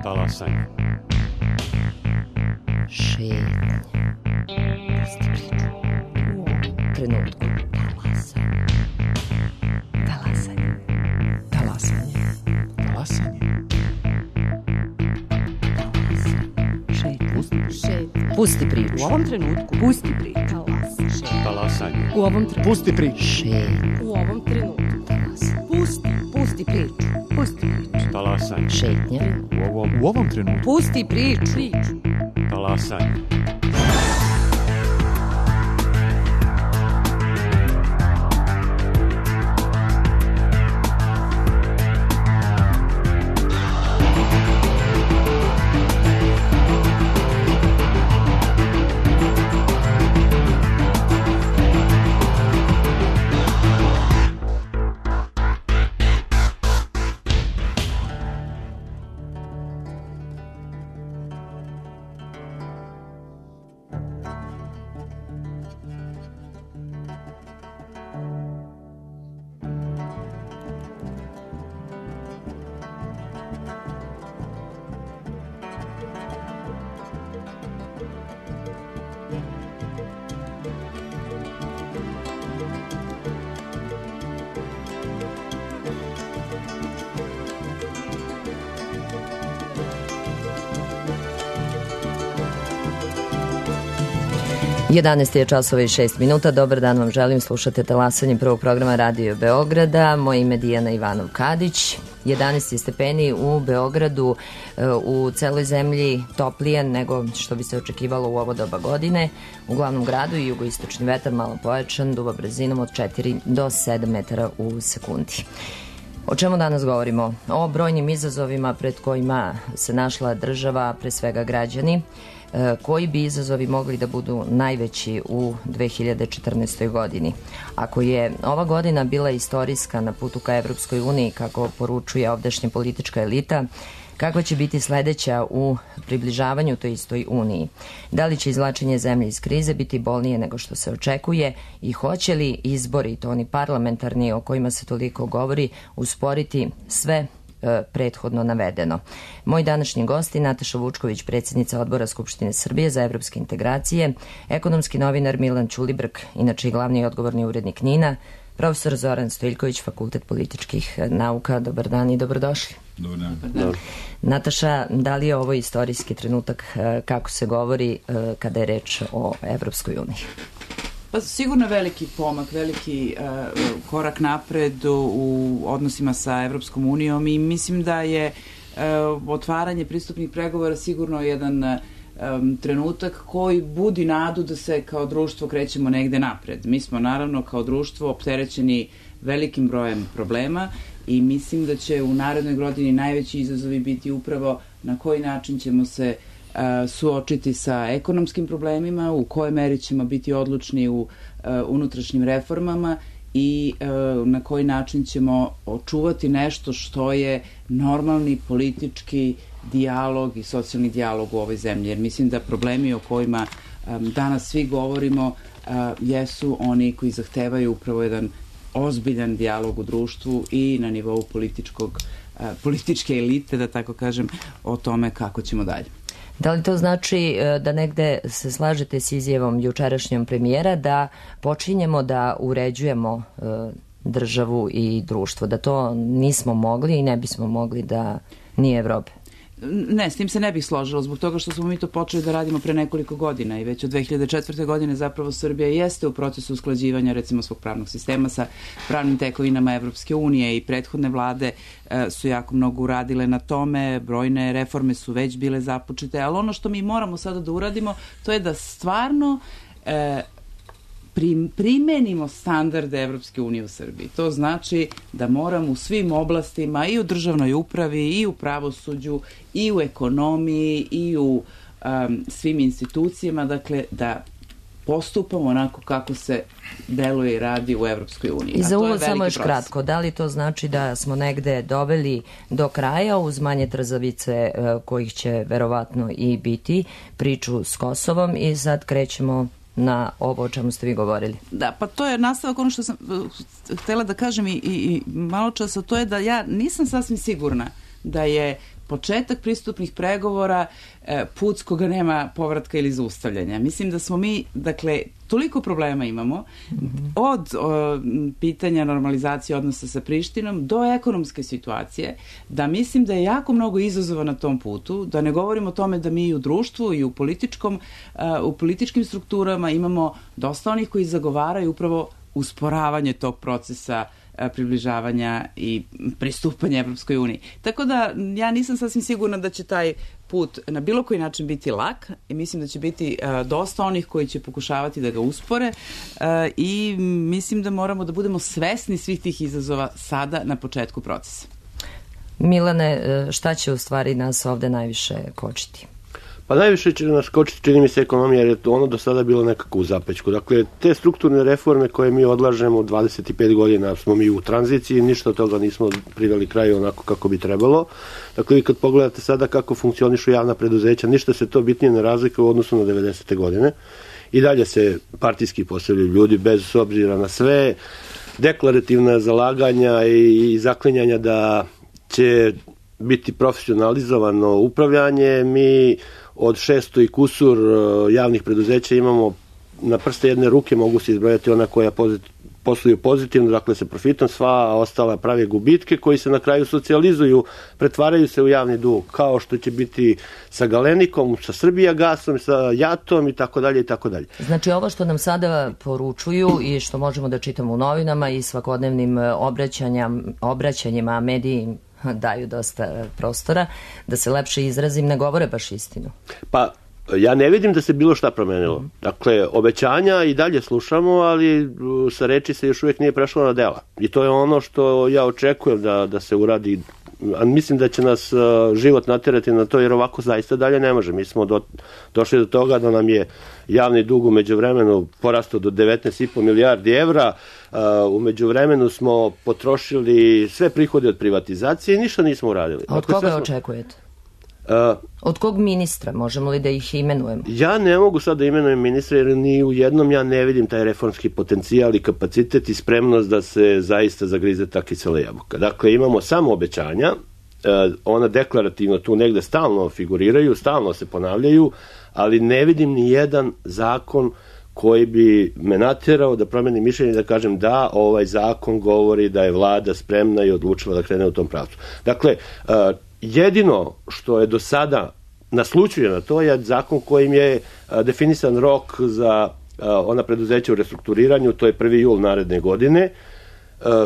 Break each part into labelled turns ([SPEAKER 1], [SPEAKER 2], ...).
[SPEAKER 1] Talasanje.
[SPEAKER 2] Šetnja. Pusti priču. U trenutku. Talasanje. Talasanje.
[SPEAKER 3] Talasanje.
[SPEAKER 2] Šetnja. Pusti priču.
[SPEAKER 4] U ovom trenutku. Pusti priču.
[SPEAKER 1] Talasanje.
[SPEAKER 4] U ovom trenutku.
[SPEAKER 3] Pusti priču.
[SPEAKER 2] Šetnja.
[SPEAKER 4] U ovom trenutku. Pusti priču. Pusti priču.
[SPEAKER 1] Talasanje.
[SPEAKER 2] Šetnja.
[SPEAKER 3] U ovom trenutku.
[SPEAKER 4] Pusti priču.
[SPEAKER 1] Talasanje.
[SPEAKER 2] Jedanaest je časova i 6 minuta. Dobar dan vam želim. Slušate Talasanje prvog programa Radio Beograda. Moje ime je Dijana Ivanov-Kadić. 11 stepeni u Beogradu, u celoj zemlji toplije nego što bi se očekivalo u ovo doba godine. U glavnom gradu i jugoistočni vetar malo pojačan, duva brzinom od 4 do 7 metara u sekundi. O čemu danas govorimo? O brojnim izazovima pred kojima se našla država, pre svega građani. Koji bi izazovi mogli da budu najveći u 2014. godini? Ako je ova godina bila istorijska na putu ka Evropskoj uniji, kako poručuje ovdašnja politička elita, kakva će biti sledeća u približavanju toj istoj uniji? Da li će izvlačenje zemlje iz krize biti bolnije nego što se očekuje i hoće li izbori, to oni parlamentarni o kojima se toliko govori, usporiti sve prethodno navedeno? Moj današnji gosti Nataša Vučković, predsjednica Odbora Skupštine Srbije za evropske integracije, ekonomski novinar Milan Ćulibrk, inače i glavni i odgovorni urednik NIN-a, profesor Zoran Stojiljković, Fakultet političkih nauka. Dobar dan i dobrodošli.
[SPEAKER 3] Dobar dan.
[SPEAKER 2] Nataša, da li je ovo istorijski trenutak, kako se govori, kada je reč o Evropskoj uniji?
[SPEAKER 5] Pa sigurno veliki pomak, veliki korak napred u odnosima sa Evropskom unijom i mislim da je otvaranje pristupnih pregovora sigurno jedan trenutak koji budi nadu da se kao društvo krećemo negde napred. Mi smo naravno kao društvo opterećeni velikim brojem problema i mislim da će u narednoj godini najveći izazovi biti upravo na koji način ćemo se suočiti sa ekonomskim problemima, u kojoj meri ćemo biti odlučni u unutrašnjim reformama i na koji način ćemo očuvati nešto što je normalni politički dijalog i socijalni dijalog u ovoj zemlji. Jer mislim da problemi o kojima danas svi govorimo jesu oni koji zahtevaju upravo jedan ozbiljan dijalog u društvu i na nivou političke elite, da tako kažem, o tome kako ćemo dalje.
[SPEAKER 2] Da li to znači da negde se slažete s izjavom jučerašnjom premijera da počinjemo da uređujemo državu i društvo, da to nismo mogli i ne bismo mogli da nije Evrope?
[SPEAKER 5] Ne, s tim se ne bih složila, zbog toga što smo mi to počeli da radimo pre nekoliko godina i već od 2004. godine zapravo Srbija jeste u procesu usklađivanja recimo svog pravnog sistema sa pravnim tekovinama Evropske unije i prethodne vlade su jako mnogo uradile na tome, brojne reforme su već bile započete, ali ono što mi moramo sada da uradimo to je da stvarno primenimo standarde Evropske unije u Srbiji. To znači da moramo u svim oblastima i u državnoj upravi i u pravosuđu i u ekonomiji i u svim institucijama, dakle da postupamo onako kako se deluje i radi u Evropskoj uniji.
[SPEAKER 2] I za uvod samo još kratko, da li to znači da smo negde doveli do kraja uz manje trzavice kojih će verovatno i biti priču s Kosovom i sad krećemo na ovo o čemu ste vi govorili?
[SPEAKER 5] Da, pa to je nastavak ono što sam htela da kažem i malo časa, to je da ja nisam sasvim sigurna da je početak pristupnih pregovora put s koga nema povratka ili zaustavljanja. Mislim da smo mi, dakle, toliko problema imamo, od pitanja normalizacije odnosa sa Prištinom do ekonomske situacije, da mislim da je jako mnogo izazova na tom putu, da ne govorimo o tome da mi u društvu i u političkim strukturama imamo dosta onih koji zagovaraju upravo usporavanje tog procesa približavanja i pristupanja Evropskoj uniji. Tako da ja nisam sasvim sigurna da će taj put na bilo koji način biti lak i mislim da će biti dosta onih koji će pokušavati da ga uspore i mislim da moramo da budemo svesni svih tih izazova sada na početku procesa.
[SPEAKER 2] Milane, šta će u stvari nas ovde najviše kočiti?
[SPEAKER 6] Pa najviše će nas kočiti, čini mi se, ekonomija, jer je ono do sada bilo nekako u zapećku. Dakle, te strukturne reforme koje mi odlažemo 25 godina smo mi u tranziciji, ništa od toga nismo priveli kraju onako kako bi trebalo. Dakle, vi kad pogledate sada kako funkcionišu javna preduzeća, ništa se to bitnije ne razlikuje u odnosu na 90. godine. I dalje se partijski postavljaju ljudi bez obzira na sve deklarativna zalaganja i zaklinjanja da će biti profesionalizovano upravljanje. Mi od 600 i kusur javnih preduzeća imamo na prste jedne ruke, mogu se izbrojati ona koja posluju pozitivno, dakle sa profitom, sva ostala prave gubitke koji se na kraju socijalizuju, pretvaraju se u javni dug, kao što će biti sa Galenikom, sa Srbijagasom, sa Jatom i tako dalje i tako dalje.
[SPEAKER 2] Znači ovo što nam sada poručuju i što možemo da čitamo u novinama i svakodnevnim obraćanjima, mediji daju dosta prostora, da se lepše izrazim, ne govore baš istinu.
[SPEAKER 6] Pa, ja ne vidim da se bilo šta promenilo. Dakle, obećanja i dalje slušamo, ali sa reči se još uvijek nije prešlo na dela. I to je ono što ja očekujem da se uradi. A mislim da će nas život naterati na to, jer ovako zaista dalje ne može. Mi smo došli do toga da nam je javni dug u međuvremenu porastao do 19,5 milijardi evra. U međuvremenu smo potrošili sve prihode od privatizacije i ništa nismo uradili.
[SPEAKER 2] A od koga očekujete? Od kog ministra? Možemo li da ih imenujemo?
[SPEAKER 6] Ja ne mogu sad da imenujem ministra, jer ni u jednom ja ne vidim taj reformski potencijal i kapacitet i spremnost da se zaista zagrize ta kisela jabuka. Dakle, imamo samo obećanja, ona deklarativno tu negde stalno figuriraju, stalno se ponavljaju, ali ne vidim ni jedan zakon koji bi me naterao da promenim mišljenje, da kažem da ovaj zakon govori da je vlada spremna i odlučila da krene u tom pravcu. Dakle, jedino što je do sada naslučuje na to je zakon kojim je definisan rok za ona preduzeća u restrukturiranju, to je 1. jul naredne godine,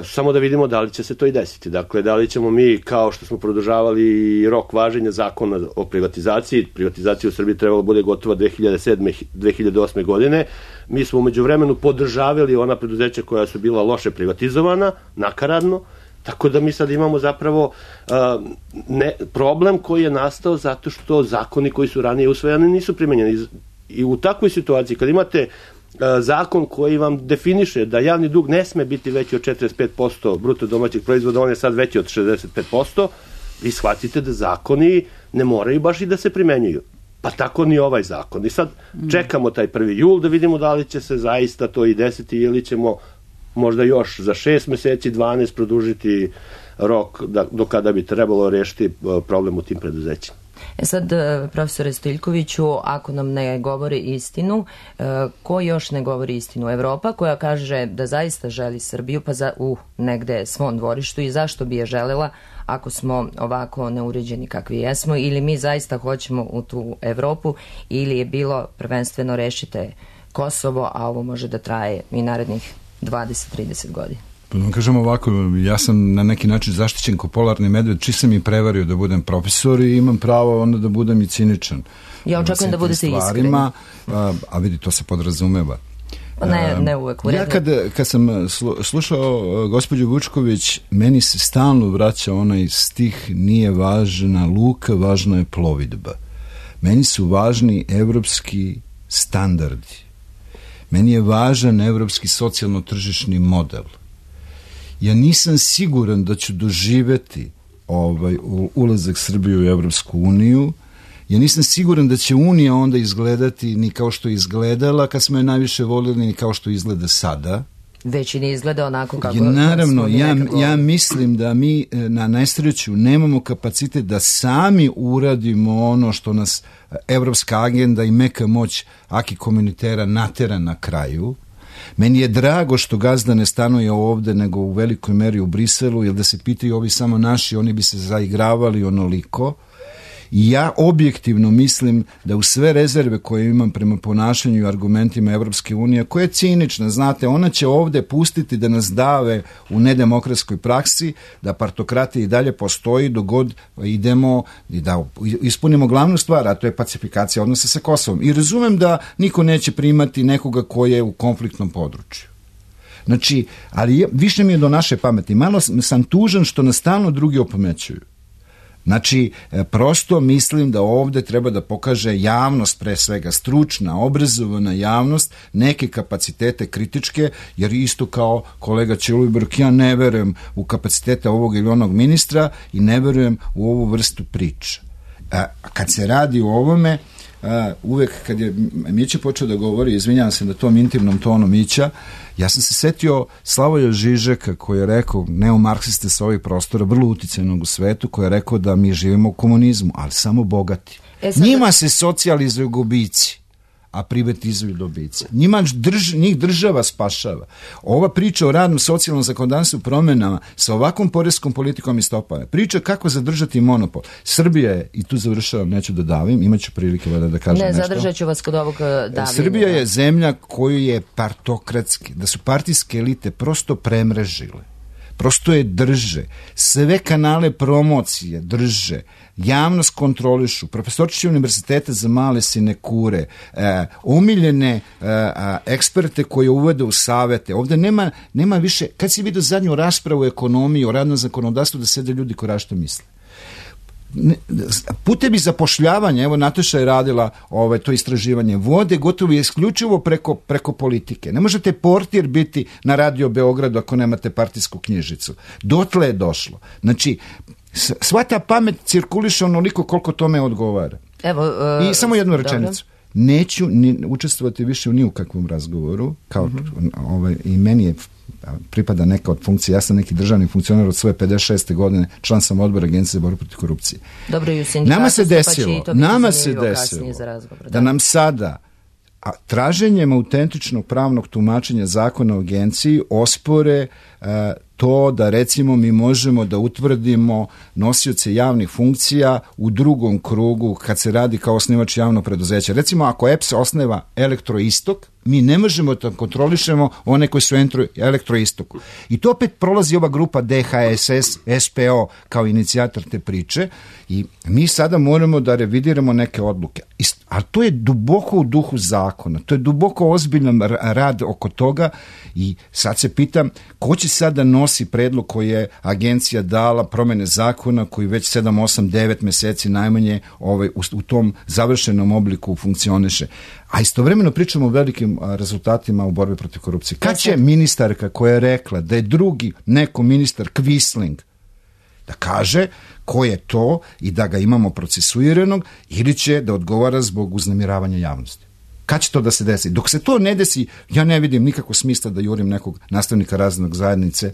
[SPEAKER 6] samo da vidimo da li će se to i desiti. Dakle, da li ćemo mi, kao što smo produžavali rok važenja zakona o privatizaciji, privatizacija u Srbiji trebala bude gotova 2007-2008. godine, mi smo umeđu vremenu podržavali ona preduzeća koja su bila loše privatizovana, nakaradno, tako da mi sad imamo zapravo problem koji je nastao zato što zakoni koji su ranije usvojeni nisu primenjeni. I u takvoj situaciji, kad imate zakon koji vam definiše da javni dug ne sme biti veći od 45% bruto domaćeg proizvoda, on je sad veći od 65%, vi shvatite da zakoni ne moraju baš i da se primenjuju. Pa tako ni ovaj zakon. I sad čekamo taj 1. jul da vidimo da li će se zaista to i desiti ili ćemo možda još za 6 meseci, 12 produžiti rok do kada bi trebalo rešiti problem u tim preduzećima.
[SPEAKER 2] Sad, profesore Stojiljkoviću, ako nam ne govori istinu, ko još ne govori istinu? Evropa koja kaže da zaista želi Srbiju pa u negde svom dvorištu i zašto bi je želela ako smo ovako neuređeni kakvi jesmo, ili mi zaista hoćemo u tu Evropu, ili je bilo prvenstveno rešite Kosovo, a ovo može da traje i narednih 20-30 godina.
[SPEAKER 7] Pa da vam kažem ovako, ja sam na neki način zaštićen ko polarni medved, či sam i prevario da budem profesor i imam pravo onda da budem i ciničan.
[SPEAKER 2] Ja očekujem da budete iskreni.
[SPEAKER 7] A vidi, to se podrazumeva.
[SPEAKER 2] Ne uvek u redu.
[SPEAKER 7] Ja kad sam slušao gospođu Vučković, meni se stalno vraća onaj stih: nije važna luka, važna je plovidba. Meni su važni evropski standardi. Meni je važan evropski socijalno-tržišni model. Ja nisam siguran da ću doživeti ulazak Srbije u Evropsku uniju. Ja nisam siguran da će Unija onda izgledati ni kao što je izgledala kad smo je najviše volili, ni kao što izgleda sada.
[SPEAKER 2] već i ne izgleda onako kako
[SPEAKER 7] naravno,
[SPEAKER 2] smo
[SPEAKER 7] ja mislim da mi na nesreću nemamo kapacitet da sami uradimo ono što nas evropska agenda i meka moć aki komunitera natera na kraju. Meni je drago što gazda ne stanuje ovde nego u velikoj meri u Briselu, jer da se pitaju ovi samo naši, oni bi se zaigravali onoliko. I ja objektivno mislim da u sve rezerve koje imam prema ponašanju i argumentima Evropske unije, koja je cinična, znate, ona će ovde pustiti da nas dave u nedemokratskoj praksi, da partokratija i dalje postoji dok god idemo i da ispunimo glavnu stvar, a to je pacifikacija odnosa sa Kosovom. I razumem da niko neće primati nekoga ko je u konfliktnom području. Znači, ali više mi je do naše pameti. Malo sam tužan što nas stalno drugi opomećuju. Znači, prosto mislim da ovde treba da pokaže javnost, pre svega stručna, obrazovana javnost, neke kapacitete kritičke, jer isto kao kolega Ćulibrk, ja ne verujem u kapacitete ovog ili onog ministra i ne verujem u ovu vrstu priča. Kad se radi o ovome, uvek kad je Mića počeo da govori, izvinjavam se na tom intimnom tonu Mića, ja sam se setio Slavoja Žižeka koji je rekao, neomarksiste sa ovih prostora, vrlo uticajnog u svetu, koji je rekao da mi živimo u komunizmu, ali samo bogati. Njima se socijalizuju gubici, a privatizuju dobice. Njih država spašava. Ova priča o radnom socijalnom zakonodavstvu promenama sa ovakvom poreskom politikom i stopama, priča kako zadržati monopol. Srbija je, i tu završavam, neću da davim, imaću prilike da kažem nešto.
[SPEAKER 2] Ne, zadržat ću vas kod ovog davljenja.
[SPEAKER 7] Srbija je zemlja koju je partokratski, da su partijske elite prosto premrežile. Prosto je drže. Sve kanale promocije drže. Javnost kontrolišu. Profesorčići univerziteta za male sinekure. Omiljene eksperte koje uvede u savete. Ovde nema više, kad si vidio zadnju raspravu o ekonomiji, o radnom zakonodavstvu, da sede ljudi koji što misle. Putevi zapošljavanja, evo Nataša je radila to istraživanje, vode gotovo isključivo preko politike. Ne možete portir biti na Radio Beogradu ako nemate partijsku knjižicu. Dotle je došlo. Znači, sva ta pamet cirkuliše onoliko koliko tome odgovara. I samo jednu rečenicu. Neću učestvovati više u ni u kakvom razgovoru, kao i meni je pripada neka od funkcija. Ja sam neki državni funkcionar od svoje 56. godine, član sam odbora Agencije za borbu protiv korupcije.
[SPEAKER 2] Dobro, i u sindikatu
[SPEAKER 7] nama se desilo da nam sada traženjem autentičnog pravnog tumačenja zakona o agenciji ospore to da recimo mi možemo da utvrdimo nosioce javnih funkcija u drugom krugu kad se radi kao osnivač javnog preduzeća. Recimo ako EPS osneva Elektroistok, mi ne možemo da kontrolišemo one koji su Elektroistoku. I to opet prolazi ova grupa DHSS, SPO kao inicijator te priče i mi sada moramo da revidiramo neke odluke. Ali to je duboko u duhu zakona, to je duboko ozbiljan rad oko toga i sad se pitam ko će sada nosi predlog koji je agencija dala promene zakona koji već 7, 8, 9 meseci najmanje u tom završenom obliku funkcioniše. A istovremeno pričamo o velikim rezultatima u borbi protiv korupcije. Kad će ministarka koja je rekla da je drugi neko ministar Quisling da kaže ko je to i da ga imamo procesuiranog ili će da odgovara zbog uznemiravanja javnosti? Kad će to da se desi? Dok se to ne desi, ja ne vidim nikakvog smisla da jurim nekog nastavnika razrednog zajednice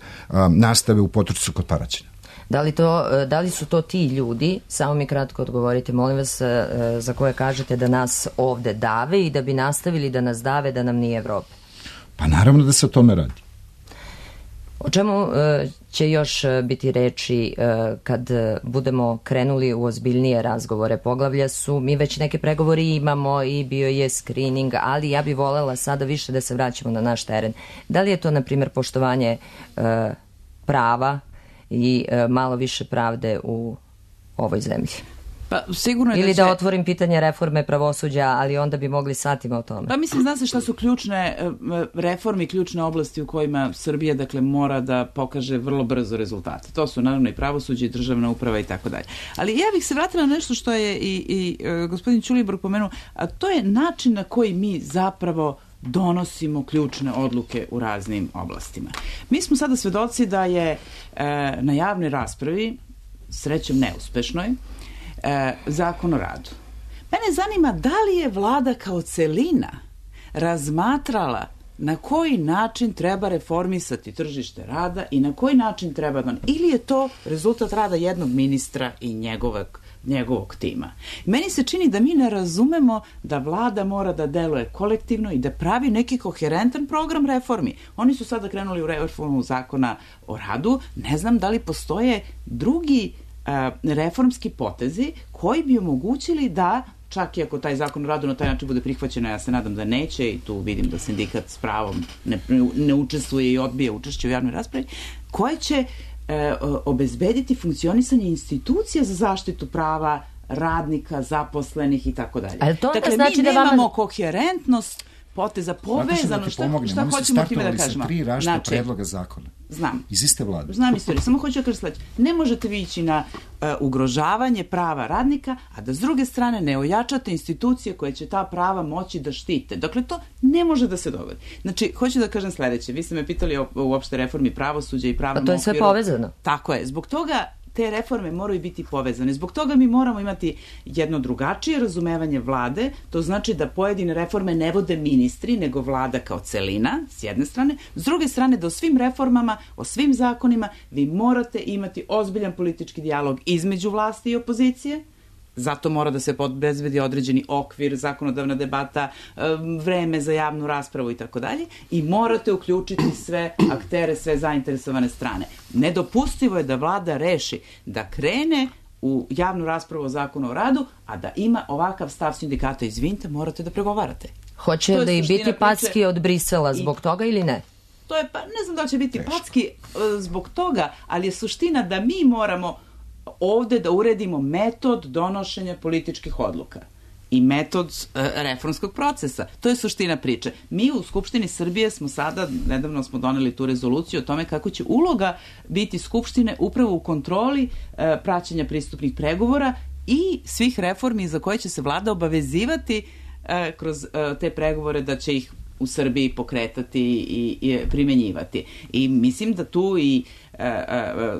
[SPEAKER 7] nastave u potrčcu kod Paraćina.
[SPEAKER 2] Da li su to ti ljudi, samo mi kratko odgovorite, molim vas, za koje kažete da nas ovde dave i da bi nastavili da nas dave da nam nije Evrope?
[SPEAKER 7] Pa naravno da se o tome radi.
[SPEAKER 2] O čemu će još biti reči kad budemo krenuli u ozbiljnije razgovore? Poglavlja su, mi već neke pregovori imamo i bio je screening, ali ja bih volela sada više da se vraćamo na naš teren. Da li je to, na primjer, poštovanje prava i malo više pravde u ovoj zemlji?
[SPEAKER 5] Pa, sigurno je
[SPEAKER 2] ili da otvorim pitanje reforme pravosuđa, ali onda bi mogli satima o tome.
[SPEAKER 5] Pa mislim, zna se šta su ključne reforme i ključne oblasti u kojima Srbija, dakle, mora da pokaže vrlo brzo rezultate. To su naravno i pravosuđe i državna uprava i tako dalje. Ali ja bih se vratila na nešto što je i gospodin Ćulibrk pomenuo, a to je način na koji mi zapravo donosimo ključne odluke u raznim oblastima. Mi smo sada svedoci da je na javnoj raspravi, srećom neuspešnoj, Zakon o radu. Mene zanima da li je vlada kao celina razmatrala na koji način treba reformisati tržište rada i na koji način treba da... Ili je to rezultat rada jednog ministra i njegovog tima. Meni se čini da mi ne razumemo da vlada mora da deluje kolektivno i da pravi neki koherentan program reformi. Oni su sada krenuli u reformu zakona o radu. Ne znam da li postoje drugi reformski potezi koji bi omogućili da, čak i ako taj zakon o radu na taj način bude prihvaćeno, ja se nadam da neće i tu vidim da sindikat s pravom ne učestvuje i odbija učešće u javnoj raspravi, koje će obezbediti funkcionisanje institucija za zaštitu prava radnika, zaposlenih i tako dalje. Dakle, mi nemamo koherentnost poteza, povezano, šta hoćemo time da kažemo?
[SPEAKER 8] Tri različita predloga zakona.
[SPEAKER 5] Znam.
[SPEAKER 8] Iz iste vlade.
[SPEAKER 5] Znam istoriju, samo hoću da kažem sledeće. Ne možete vi ići na ugrožavanje prava radnika, a da s druge strane ne ojačate institucije koje će ta prava moći da štite. Dakle, to ne može da se dogodi. Znači, hoću da kažem sledeće. Vi ste me pitali o uopšte reformi pravosuđa i pravnom okviru.
[SPEAKER 2] A to je sve povezano.
[SPEAKER 5] Tako je. Zbog toga te reforme moraju biti povezane. Zbog toga mi moramo imati jedno drugačije razumevanje vlade, to znači da pojedine reforme ne vode ministri, nego vlada kao celina, s jedne strane. S druge strane, da o svim reformama, o svim zakonima, vi morate imati ozbiljan politički dijalog između vlasti i opozicije. Zato mora da se obezbedi određeni okvir, zakonodavna debata, vreme za javnu raspravu i tako dalje. I morate uključiti sve aktere, sve zainteresovane strane. Nedopustivo je da vlada reši da krene u javnu raspravu o zakonu o radu, a da ima ovakav stav sindikata. Izvinite, morate da pregovarate.
[SPEAKER 2] Hoće li biti packi od Brisela zbog toga ili ne?
[SPEAKER 5] To je, ne znam da će biti packi zbog toga, ali je suština da mi moramo ovde da uredimo metod donošenja političkih odluka i metod reformskog procesa. To je suština priče. Mi u Skupštini Srbije smo sada, nedavno smo doneli tu rezoluciju o tome kako će uloga biti Skupštine upravo u kontroli praćenja pristupnih pregovora i svih reformi za koje će se vlada obavezivati kroz te pregovore da će ih u Srbiji pokretati i primenjivati. I mislim da tu i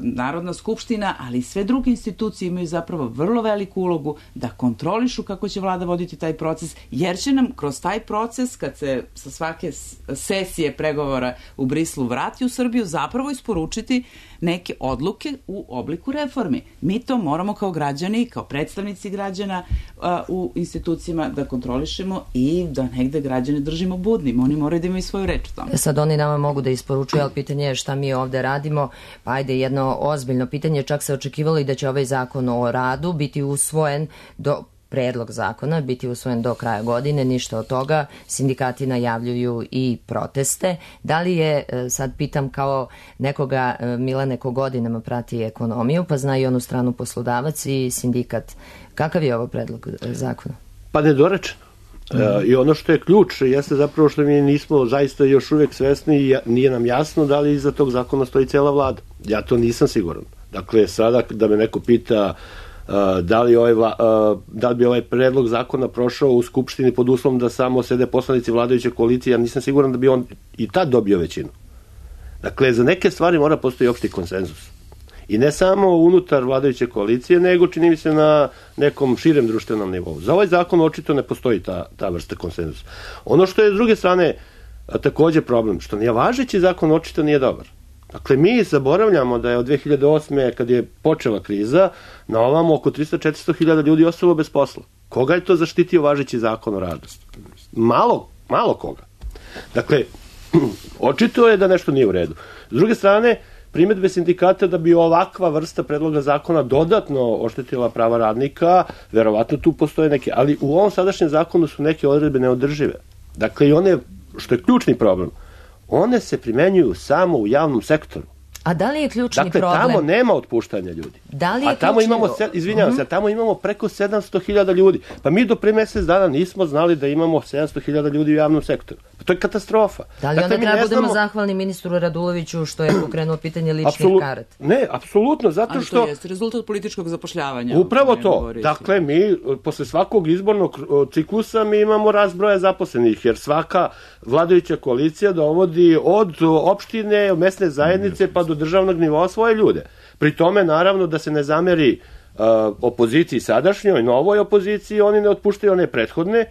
[SPEAKER 5] Narodna skupština, ali i sve druge institucije imaju zapravo vrlo veliku ulogu da kontrolišu kako će vlada voditi taj proces, jer će nam kroz taj proces, kad se sa svake sesije pregovora u Briselu vrati u Srbiju, zapravo isporučiti neke odluke u obliku reformi. Mi to moramo kao građani, kao predstavnici građana u institucijama da kontrolišemo i da negde građane držimo budnim. Oni moraju da imaju svoju reč u tome.
[SPEAKER 2] Sad oni nama mogu da isporučuju, ali pitanje je šta mi ovde radimo. Pa ajde, jedno ozbiljno pitanje, čak se očekivalo i da će ovaj zakon o radu biti usvojen predlog zakona biti usvojen do kraja godine, ništa od toga. Sindikati najavljuju i proteste. Da li je, sad pitam kao nekoga, Milane, ko godinama prati ekonomiju, pa zna i onu stranu poslodavac i sindikat, kakav je ovo predlog zakona?
[SPEAKER 6] Pa nedorečeno. I ono što je ključ jeste zapravo što mi nismo zaista još uvijek svesni i nije nam jasno da li iza tog zakona stoji cela vlada. Ja to nisam siguran. Dakle, sada da me neko pita da li bi ovaj predlog zakona prošao u Skupštini pod uslovom da samo sede poslanici vladajuće koalicije, ja nisam siguran da bi on i tad dobio većinu. Dakle, za neke stvari mora postoji opšti konsenzus. I ne samo unutar vladajuće koalicije, nego čini mi se na nekom širem društvenom nivou. Za ovaj zakon očito ne postoji ta vrsta konsenzusa. Ono što je s druge strane takođe problem, što nije važeći zakon očito nije dobar. Dakle, mi zaboravljamo da je od 2008. kad je počela kriza, na ovamo oko 300-400 hiljada ljudi ostalo bez posla. Koga je to zaštitio važeći zakon o radu? Malo koga. Dakle, očito je da nešto nije u redu. S druge strane, primedbe sindikata da bi ovakva vrsta predloga zakona dodatno oštetila prava radnika, verovatno tu postoje neke, ali u ovom sadašnjem zakonu su neke odredbe neodržive. Dakle, i one, što je ključni problem, one se primenjuju samo u javnom sektoru.
[SPEAKER 2] A da li je ključni problem?
[SPEAKER 6] Dakle, tamo nema otpuštanja ljudi.
[SPEAKER 2] Da li je
[SPEAKER 6] tamo imamo, izvinjavam se, tamo imamo preko 700.000 ljudi. Pa mi do pre mesec dana nismo znali da imamo 700.000 ljudi u javnom sektoru. Pa to je katastrofa.
[SPEAKER 2] Da li onda treba budemo zahvalni ministru Raduloviću što je pokrenuo pitanje ličnih karata?
[SPEAKER 6] Ne, apsolutno, zato što...
[SPEAKER 5] Ali to je rezultat političkog zapošljavanja.
[SPEAKER 6] Upravo to. Dakle, mi posle svakog izbornog ciklusa mi imamo rast broja zaposlenih, jer svaka vladajuća koalicija dovodi od opštine, mesne zajednice pa do državnog nivoa svoje ljude. Pri tome, naravno, da se ne zameri opoziciji sadašnjoj, novoj opoziciji, oni ne otpuštaju one prethodne,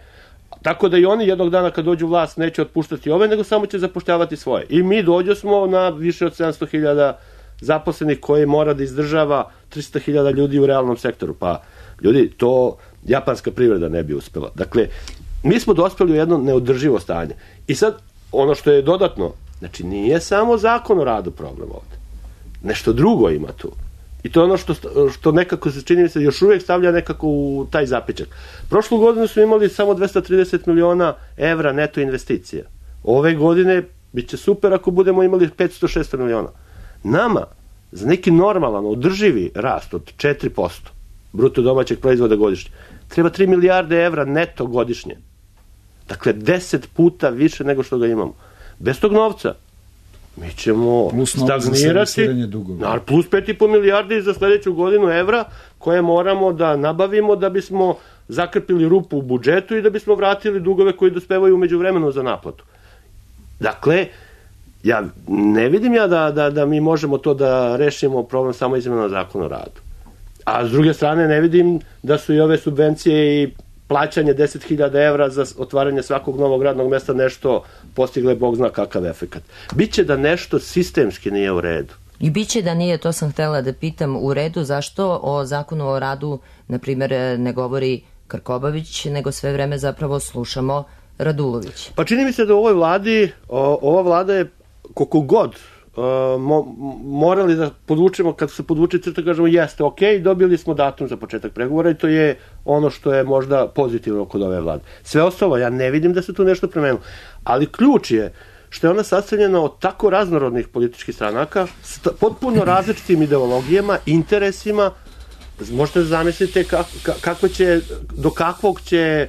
[SPEAKER 6] Tako da i oni jednog dana kad dođu vlast neće otpuštati ove, nego samo će zapošljavati svoje. I mi dođo smo na više od 700.000 zaposlenih koji mora da izdržava 300.000 ljudi u realnom sektoru. Pa, ljudi, to japanska privreda ne bi uspela. Dakle, mi smo dospeli u jedno neodrživo stanje. I sad, ono što je dodatno, znači nije samo zakon o radu problem ovde. Nešto drugo ima tu. I to je ono što nekako se čini mi se još uvijek stavlja nekako u taj zapičak. Prošlu godinu smo imali samo 230 miliona evra neto investicija. Ove godine bit će super ako budemo imali 500-600 miliona. Nama, za neki normalan, održivi rast od 4% bruto domaćeg proizvoda godišnje, treba 3 milijarde evra neto godišnje. Dakle, 10 puta više nego što ga imamo. Bez tog novca mi ćemo stagnirati, plus 5,5 milijardi za sledeću godinu evra koje moramo da nabavimo da bismo zakrpili rupu u budžetu i da bismo vratili dugove koji dospevaju umeđu vremenu za naplatu. Dakle, ja ne vidim da mi možemo to da rešimo problem samo izmjenom zakona o radu. A s druge strane ne vidim da su i ove subvencije i plaćanje 10.000 evra za otvaranje svakog novog radnog mesta nešto postigle Bog zna kakav efekat. Biće da nešto sistemski nije u redu.
[SPEAKER 2] I biće da nije, to sam htela da pitam, u redu, zašto o zakonu o radu, na primjer, ne govori Krkobabić, nego sve vreme zapravo slušamo Radulović?
[SPEAKER 6] Pa čini mi se da u ovoj vladi, ova vlada je koliko god morali da podvučemo, kad se podvuče crta, kažemo jeste, ok, dobili smo datum za početak pregovora i to je ono što je možda pozitivno kod ove vlade. Sve ostalo, ja ne vidim da se tu nešto promenilo. Ali ključ je što je ona sastavljena od tako raznorodnih političkih stranaka, s potpuno različitim ideologijama, interesima. Možete da zamislite do kakvog će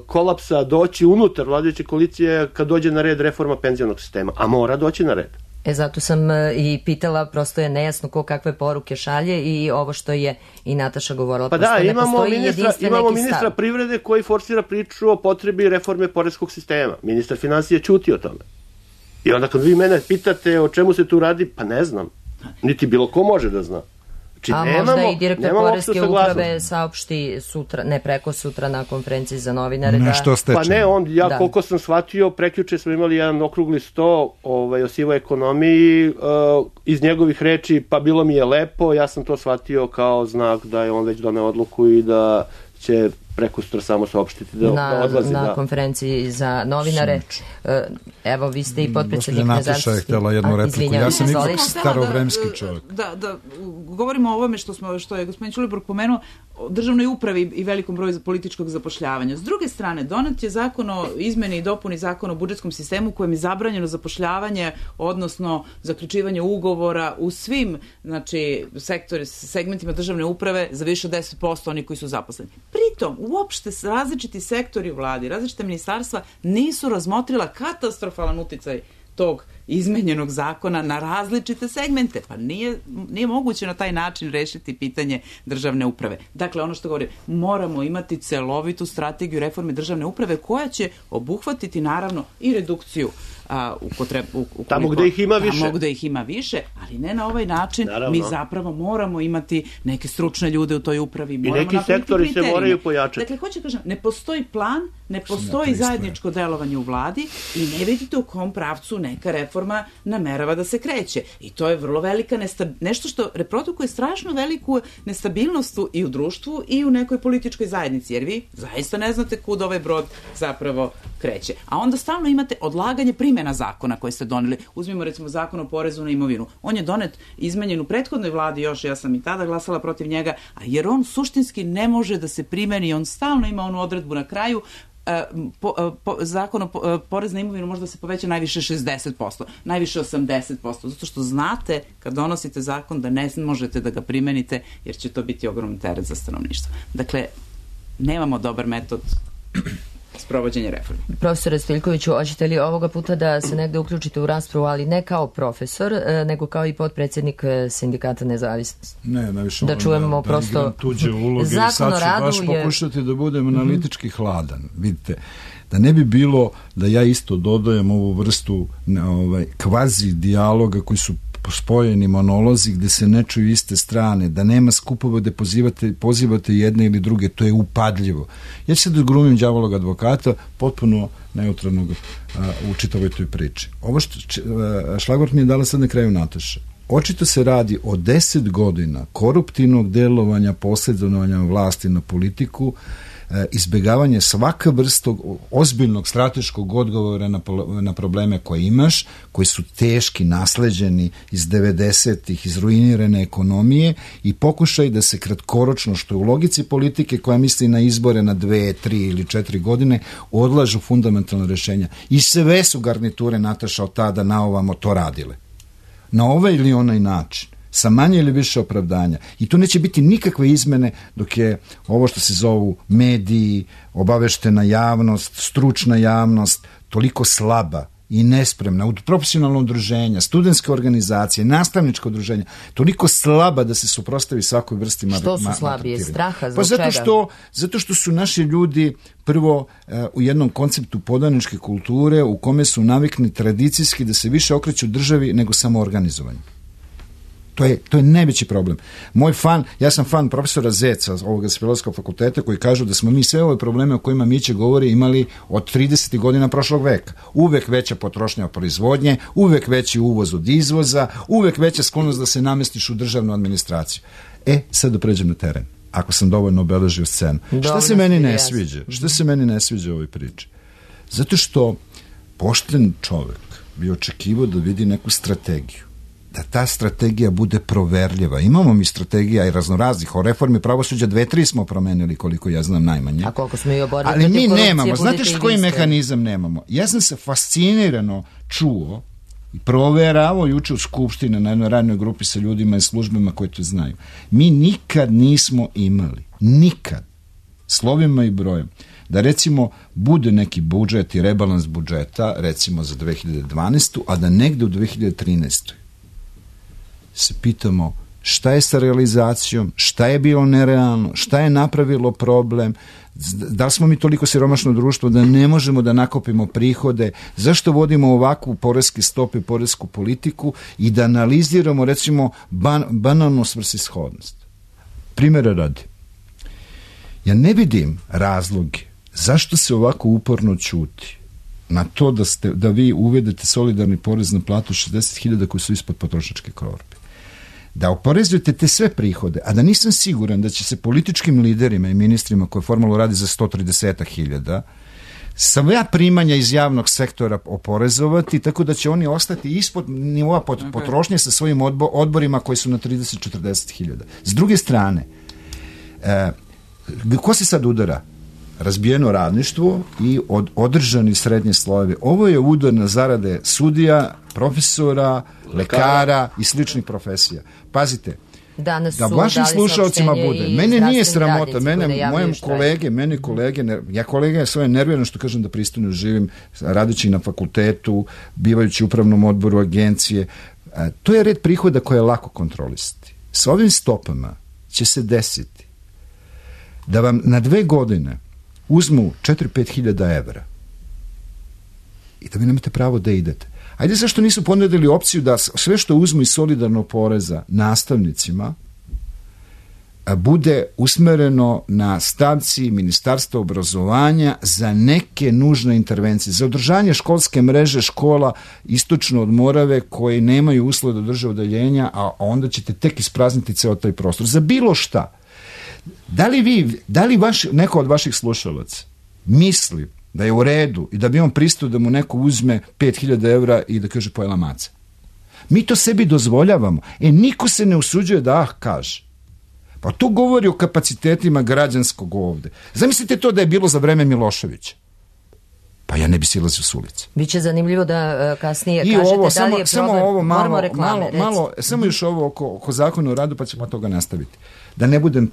[SPEAKER 6] kolapsa doći unutar vladajuće koalicije kad dođe na red reforma penzionog sistema, a mora doći na red.
[SPEAKER 2] Zato sam i pitala, prosto je nejasno ko kakve poruke šalje i ovo što je i Nataša govorila.
[SPEAKER 6] Pa da, imamo ministra privrede koji forsira priču o potrebi reforme poreskog sistema. Ministar finansija ćuti o tome. I onda kad vi mene pitate o čemu se tu radi, pa ne znam. Niti bilo ko može da zna.
[SPEAKER 2] Možda i direktor poreske uprave saopšti sutra, ne preko sutra na konferenciji za novinare.
[SPEAKER 6] Pa ne, koliko sam shvatio, prekjuče smo imali jedan okrugli sto o sivoj ekonomiji, iz njegovih reči, pa bilo mi je lepo, ja sam to shvatio kao znak da je on već doneo odluku i da će preko sutra samo saopštiti da odlazi.
[SPEAKER 2] Na konferenciji za novinare. Evo, vi ste i potpredsjednik
[SPEAKER 7] nezavisnosti. Nataša je htjela jednu repliku. Ja sam ipak starovremski čovjek.
[SPEAKER 5] Da, govorimo o ovome što je gospodin Ćulibrk pomenuo, o državnoj upravi i velikom broju političkog zapošljavanja. S druge strane, donet je zakon o izmeni i dopuni zakona o budžetskom sistemu kojem je zabranjeno zapošljavanje, odnosno zaključivanje ugovora u svim segmentima državne uprave za više od 10% onih koji su zaposleni. Pritom, uopšte različiti sektori u vladi, različite ministarstva nisu razmotrila katastrofalan uticaj tog izmenjenog zakona na različite segmente. Pa nije moguće na taj način rešiti pitanje državne uprave. Dakle, ono što govorim, moramo imati celovitu strategiju reforme državne uprave koja će obuhvatiti naravno i redukciju
[SPEAKER 6] tamo gde ih ima više.
[SPEAKER 5] Tamo gde ih ima više, ali ne na ovaj način. Naravno. Mi zapravo moramo imati neke stručne ljude u toj upravi.
[SPEAKER 6] I neki sektori se moraju pojačati.
[SPEAKER 5] Dakle, hoću kažem, ne postoji plan, ne postoji zajedničko delovanje u vladi i ne vidite u kom pravcu neka reforma namerava da se kreće. I to je vrlo velika nešto što reprodukuje strašno veliku nestabilnost i u društvu i u nekoj političkoj zajednici, jer vi zaista ne znate kud ovaj brod zapravo kreće. A onda stalno imate odlaganje primjena zakona koje ste doneli. Uzmimo recimo zakon o porezu na imovinu. On je donet, izmenjen u prethodnoj vladi još, ja sam i tada glasala protiv njega, jer on suštinski ne može da se primeni, on stalno ima onu odredbu na kraju, zakon o porez na imovinu može da se poveća najviše 60%, najviše 80%, zato što znate kad donosite zakon da ne možete da ga primenite jer će to biti ogroman teret za stanovništvo. Dakle, nemamo dobar metod sprovođenje reforme.
[SPEAKER 2] Profesore Stojiljkoviću, hoćete li ovoga puta da se negde uključite u raspravu, ali ne kao profesor, nego kao i potpredsjednik Sindikata nezavisnosti?
[SPEAKER 7] Ne, najviše
[SPEAKER 2] da čujemo prosto
[SPEAKER 7] tuđe uloge i sad ću baš pokušati da budem analitički hladan. Vidite, da ne bi bilo da ja isto dodajem ovu vrstu kvazi dijaloga koji su spojeni monolozi gde se ne čuju iste strane, da nema skupova gde pozivate jedne ili druge, to je upadljivo. Ja ću sad da glumim đavolog advokata, potpuno neutralnog u čitavoj toj priči. Ovo što šlagvort mi je dala sad na kraju Nataša. Očito se radi o 10 godina koruptivnog delovanja, posredovanja vlasti na politiku, izbegavanje svaka vrsta ozbiljnog strateškog odgovora na probleme koje imaš, koji su teški, nasleđeni iz 90-ih, iz ruinirane ekonomije i pokušaj da se kratkoročno, što je u logici politike koja misli na izbore na 2, 3 ili 4 godine, odlažu fundamentalna rešenja. I sve su garniture, Nataša, od tada na ovamo to radile. Na ovaj ili onaj način, sa manje ili više opravdanja. I tu neće biti nikakve izmene dok je ovo što se zovu mediji, obaveštena javnost, stručna javnost, toliko slaba i nespremna, profesionalno udruženja, studentske organizacije, nastavničko udruženja, toliko slaba da se suprotstavi svakoj vrsti
[SPEAKER 2] Što su slabije? Straha? Zbog
[SPEAKER 7] čega? Zato što su naši ljudi prvo u jednom konceptu podaničke kulture u kome su navikni tradicijski da se više okreću državi nego samoorganizovanju. To je najveći problem. Ja sam fan profesora Zeca, ovoga s Filozofskog fakulteta, koji kažu da smo mi sve ove probleme o kojima Miće govori imali od 30. godina prošlog veka. Uvek veća potrošnja od proizvodnje, uvek veći uvoz od izvoza, uvek veća sklonost da se namestiš u državnu administraciju. Sad da pređem na teren, ako sam dovoljno obeležio scenu. Šta se meni ne sviđa? Šta se meni ne sviđa u ovoj priči? Zato što pošten čovek bi očekivao da vidi neku strategiju, da ta strategija bude proverljiva. Imamo mi strategija i raznoraznih, o reformi pravosuđa 2-3 smo promenili, koliko ja znam, najmanje.
[SPEAKER 2] A koliko smo i oborili
[SPEAKER 7] ali mi nemamo, znate što koji mehanizam nemamo? Ja sam se fascinirano čuo i proveravao juče u Skupštini na jednoj radnoj grupi sa ljudima i službama koji to znaju. Mi nikad nismo imali, nikad, slovima i brojem, da recimo bude neki budžet i rebalans budžeta, recimo za 2012. a da negde u 2013. se pitamo šta je sa realizacijom, šta je bilo nerealno, šta je napravilo problem, da li smo mi toliko siromašno društvo da ne možemo da nakopimo prihode, zašto vodimo ovakvu poreske stope, poresku politiku i da analiziramo recimo banalnu svrsishodnost. Primjera radi. Ja ne vidim razloge zašto se ovako uporno ćuti na to da vi uvedete solidarni porez na platu 60.000 koji su ispod potrošačke korpe. Da oporezujete te sve prihode, a da nisam siguran da će se političkim liderima i ministrima koje formalno radi za 130.000 sva primanja iz javnog sektora oporezovati, tako da će oni ostati ispod nivoa potrošnje sa svojim odborima koji su na 30-40.000. S druge strane, ko se sad udara? Razbijeno radništvo i održani srednje slojevi. Ovo je udar na zarade sudija, profesora, lekara i sličnih profesija. Pazite, da vašim slušalcima bude. Mene nije sramota, mene kolege svoje nervirano što kažem da pristojno živim, radeći na fakultetu, bivajući u upravnom odboru agencije. To je red prihoda koje je lako kontrolisati. Sa ovim stopama će se desiti da vam na 2 godine uzmu 4-5 hiljada evra i da vi nemate pravo da idete. Ajde, zašto nisu ponudili opciju da sve što uzmu iz solidarnog poreza nastavnicima bude usmereno na stavci Ministarstva obrazovanja za neke nužne intervencije, za održanje školske mreže škola istočno od Morave koje nemaju uslove da drže odeljenja, a onda ćete tek isprazniti ceo taj prostor. Za bilo šta. Da li neko od vaših slušalaca misli da je u redu i da bi on pristao da mu neko uzme 5.000 evra i da kaže pojela maca? Mi to sebi dozvoljavamo. Niko se ne usuđuje da kaže. Pa to govori o kapacitetima građanskog ovde. Zamislite to da je bilo za vreme Miloševića. Pa ja ne bi silazio s ulice.
[SPEAKER 2] Biće zanimljivo da kasnije kažete da li je problem. Moramo reklame.
[SPEAKER 7] Samo još ovo oko zakona o radu, pa ćemo od toga nastaviti. Da ne budem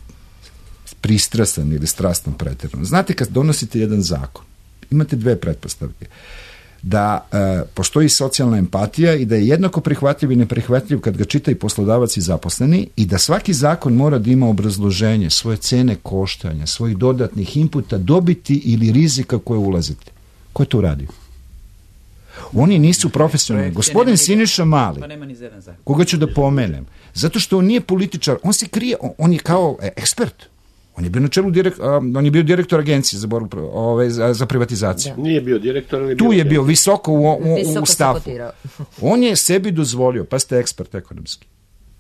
[SPEAKER 7] pristrasan ili strastan pretjerano. Znate, kad donosite jedan zakon, imate 2 pretpostavke. Da postoji socijalna empatija i da je jednako prihvatljiv i neprihvatljiv kad ga čita i poslodavac i zaposleni, i da svaki zakon mora da ima obrazloženje, svoje cene koštanja, svojih dodatnih inputa, dobiti ili rizika koje ulazite. Ko je to uradio? Oni nisu profesionalni. Gospodin Siniša Mali, koga ću da pomenem, zato što on nije političar, on se krije, on je kao ekspert. On je bio na čelu on je bio direktor agencije za borbu za privatizaciju.
[SPEAKER 6] Nije bio direktor, ali
[SPEAKER 7] tu je bio visoko u stafu. On je sebi dozvolio, pa ste ekspert ekonomski,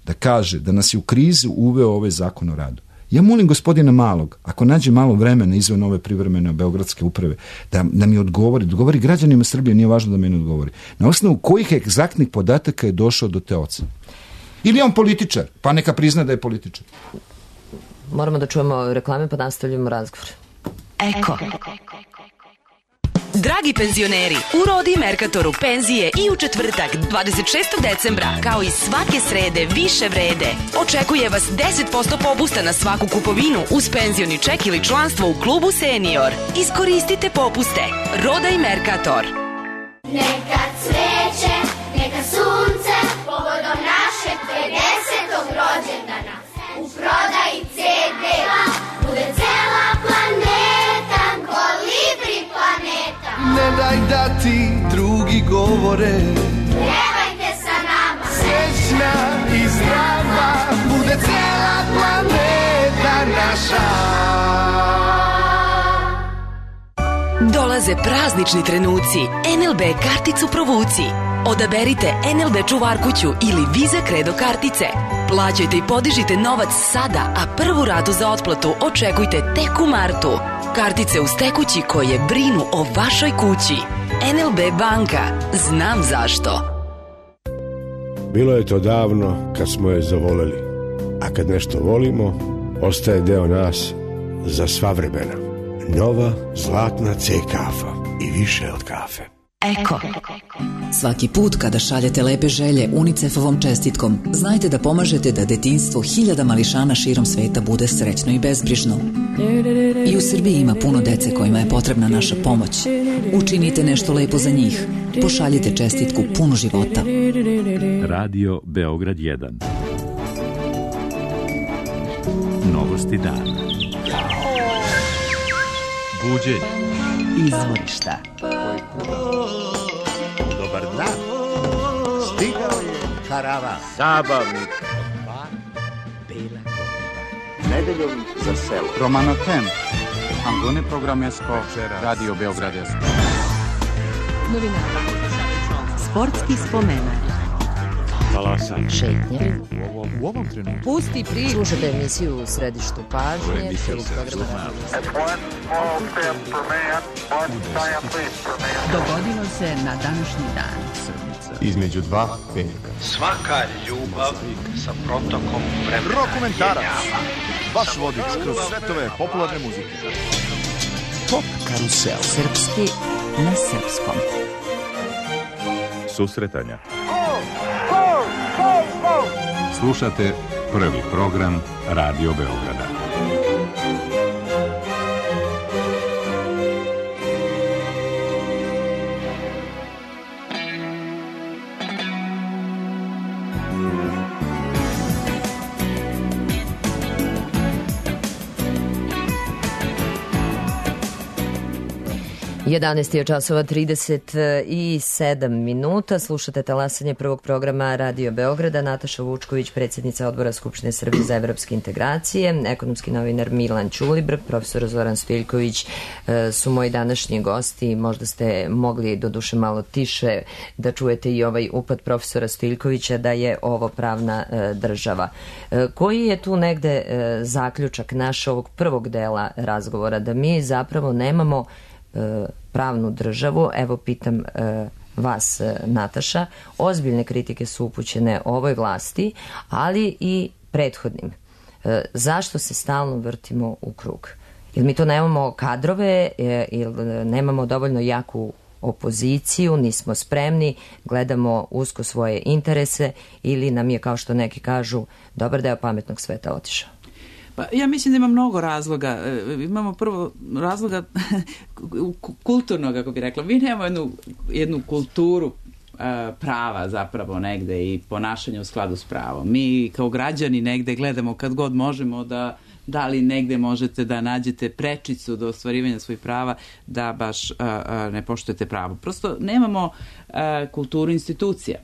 [SPEAKER 7] da kaže da nas je u krizu uveo ovaj zakon o radu. Ja molim gospodina Malog, ako nađe malo vremena izvan ove privremene beogradske uprave, da mi odgovori građanima Srbije, nije važno da meni odgovori. Na osnovu kojih egzaktnih podataka je došao do te ocene? Ili je on političar, pa neka prizna da je političar.
[SPEAKER 2] Moramo da čujemo reklame, pa nastavljamo razgovor.
[SPEAKER 8] Eko. Dragi penzioneri, u Rodi Merkatoru penzije i u četvrtak 26. decembra, kao i svake srede više vrede. Očekuje vas 10% popusta na svaku kupovinu uz penzioni ček ili članstvo u klubu Senior. Iskoristite popuste. Roda i Merkator.
[SPEAKER 9] Neka cveće, neka sunce, povodom našeg 50. rođendana. U prodaji CD-a bude cela planeta, Kolibri planeta.
[SPEAKER 10] Ne daj da ti drugi govore,
[SPEAKER 9] Pevajte sa nama,
[SPEAKER 10] srećna i zdrava, bude cela planeta naša.
[SPEAKER 8] Dolaze praznični trenuci. NLB karticu provuci. Odaberite NLB čuvarkuću ili Visa Credo kartice. Plaćajte i podižite novac sada, a prvu ratu za otplatu očekujte tek u martu. Kartice uz tekući koje brinu o vašoj kući. NLB banka. Znam zašto.
[SPEAKER 11] Bilo je to davno kad smo je zavoleli, a kad nešto volimo, ostaje deo nas za sva vremena. Nova zlatna C kafa i više od kafe.
[SPEAKER 8] Eko.
[SPEAKER 12] Svaki put kada šaljete lepe želje UNICEF-ovom čestitkom, znajte da pomažete da detinjstvo hiljada mališana širom sveta bude srećno i bezbrižno. I u Srbiji ima puno dece kojima je potrebna naša pomoć. Učinite nešto lepo za njih. Pošaljite čestitku punu života.
[SPEAKER 1] Radio Beograd 1. Novosti dana. Buđenje.
[SPEAKER 12] Izvorišta.
[SPEAKER 1] Dobar dan.
[SPEAKER 13] Stigao je karavan.
[SPEAKER 6] Zabavnik.
[SPEAKER 13] Bela nedeljom za selo.
[SPEAKER 14] Romano Tem. Ambone programesko. Radio Beogradesko.
[SPEAKER 4] Novinara. Sportski spomenak.
[SPEAKER 1] Talasanje.
[SPEAKER 2] Šetnje.
[SPEAKER 3] U ovom trenutku.
[SPEAKER 4] Pusti priču.
[SPEAKER 2] Slušate emisiju u središtu pažnje.
[SPEAKER 4] Dogodilo se na današnji dan.
[SPEAKER 15] Između dva velika.
[SPEAKER 16] Svaka ljubav sa protokom vremena.
[SPEAKER 15] Rokomentarac. Vaš vodič kroz svetove popularne muzike.
[SPEAKER 12] Pop karusel. Srpski na srpskom.
[SPEAKER 1] Susretanja. Slušate prvi program Radio Beograda.
[SPEAKER 2] Jedanaest je časova 37 minuta. Slušate talasanje prvog programa Radio Beograda. Nataša Vučković, predsjednica Odbora Skupštine Srbije za evropske integracije, ekonomski novinar Milan Ćulibr, profesor Zoran Stojiljković su moji današnji gosti. Možda ste mogli doduše malo tiše da čujete i ovaj upad profesora Stojiljkovića da je ovo pravna država. Koji je tu negde zaključak naš ovog prvog dela razgovora? Da mi zapravo nemamo pravnu državu. Evo pitam vas, Nataša, ozbiljne kritike su upućene ovoj vlasti, ali i prethodnim. Zašto se stalno vrtimo u krug? Ili mi to nemamo kadrove, ili nemamo dovoljno jaku opoziciju, nismo spremni, gledamo usko svoje interese, ili nam je, kao što neki kažu, dobar deo pametnog sveta otišao?
[SPEAKER 5] Pa ja mislim da ima mnogo razloga. Imamo prvo razloga kulturnog, kako bi rekla. Mi nemamo jednu kulturu prava zapravo negde i ponašanja u skladu s pravom. Mi kao građani negde gledamo kad god možemo da da li negde možete da nađete prečicu do ostvarivanja svojih prava, da baš ne poštujete pravo. Prosto nemamo kulturu institucija.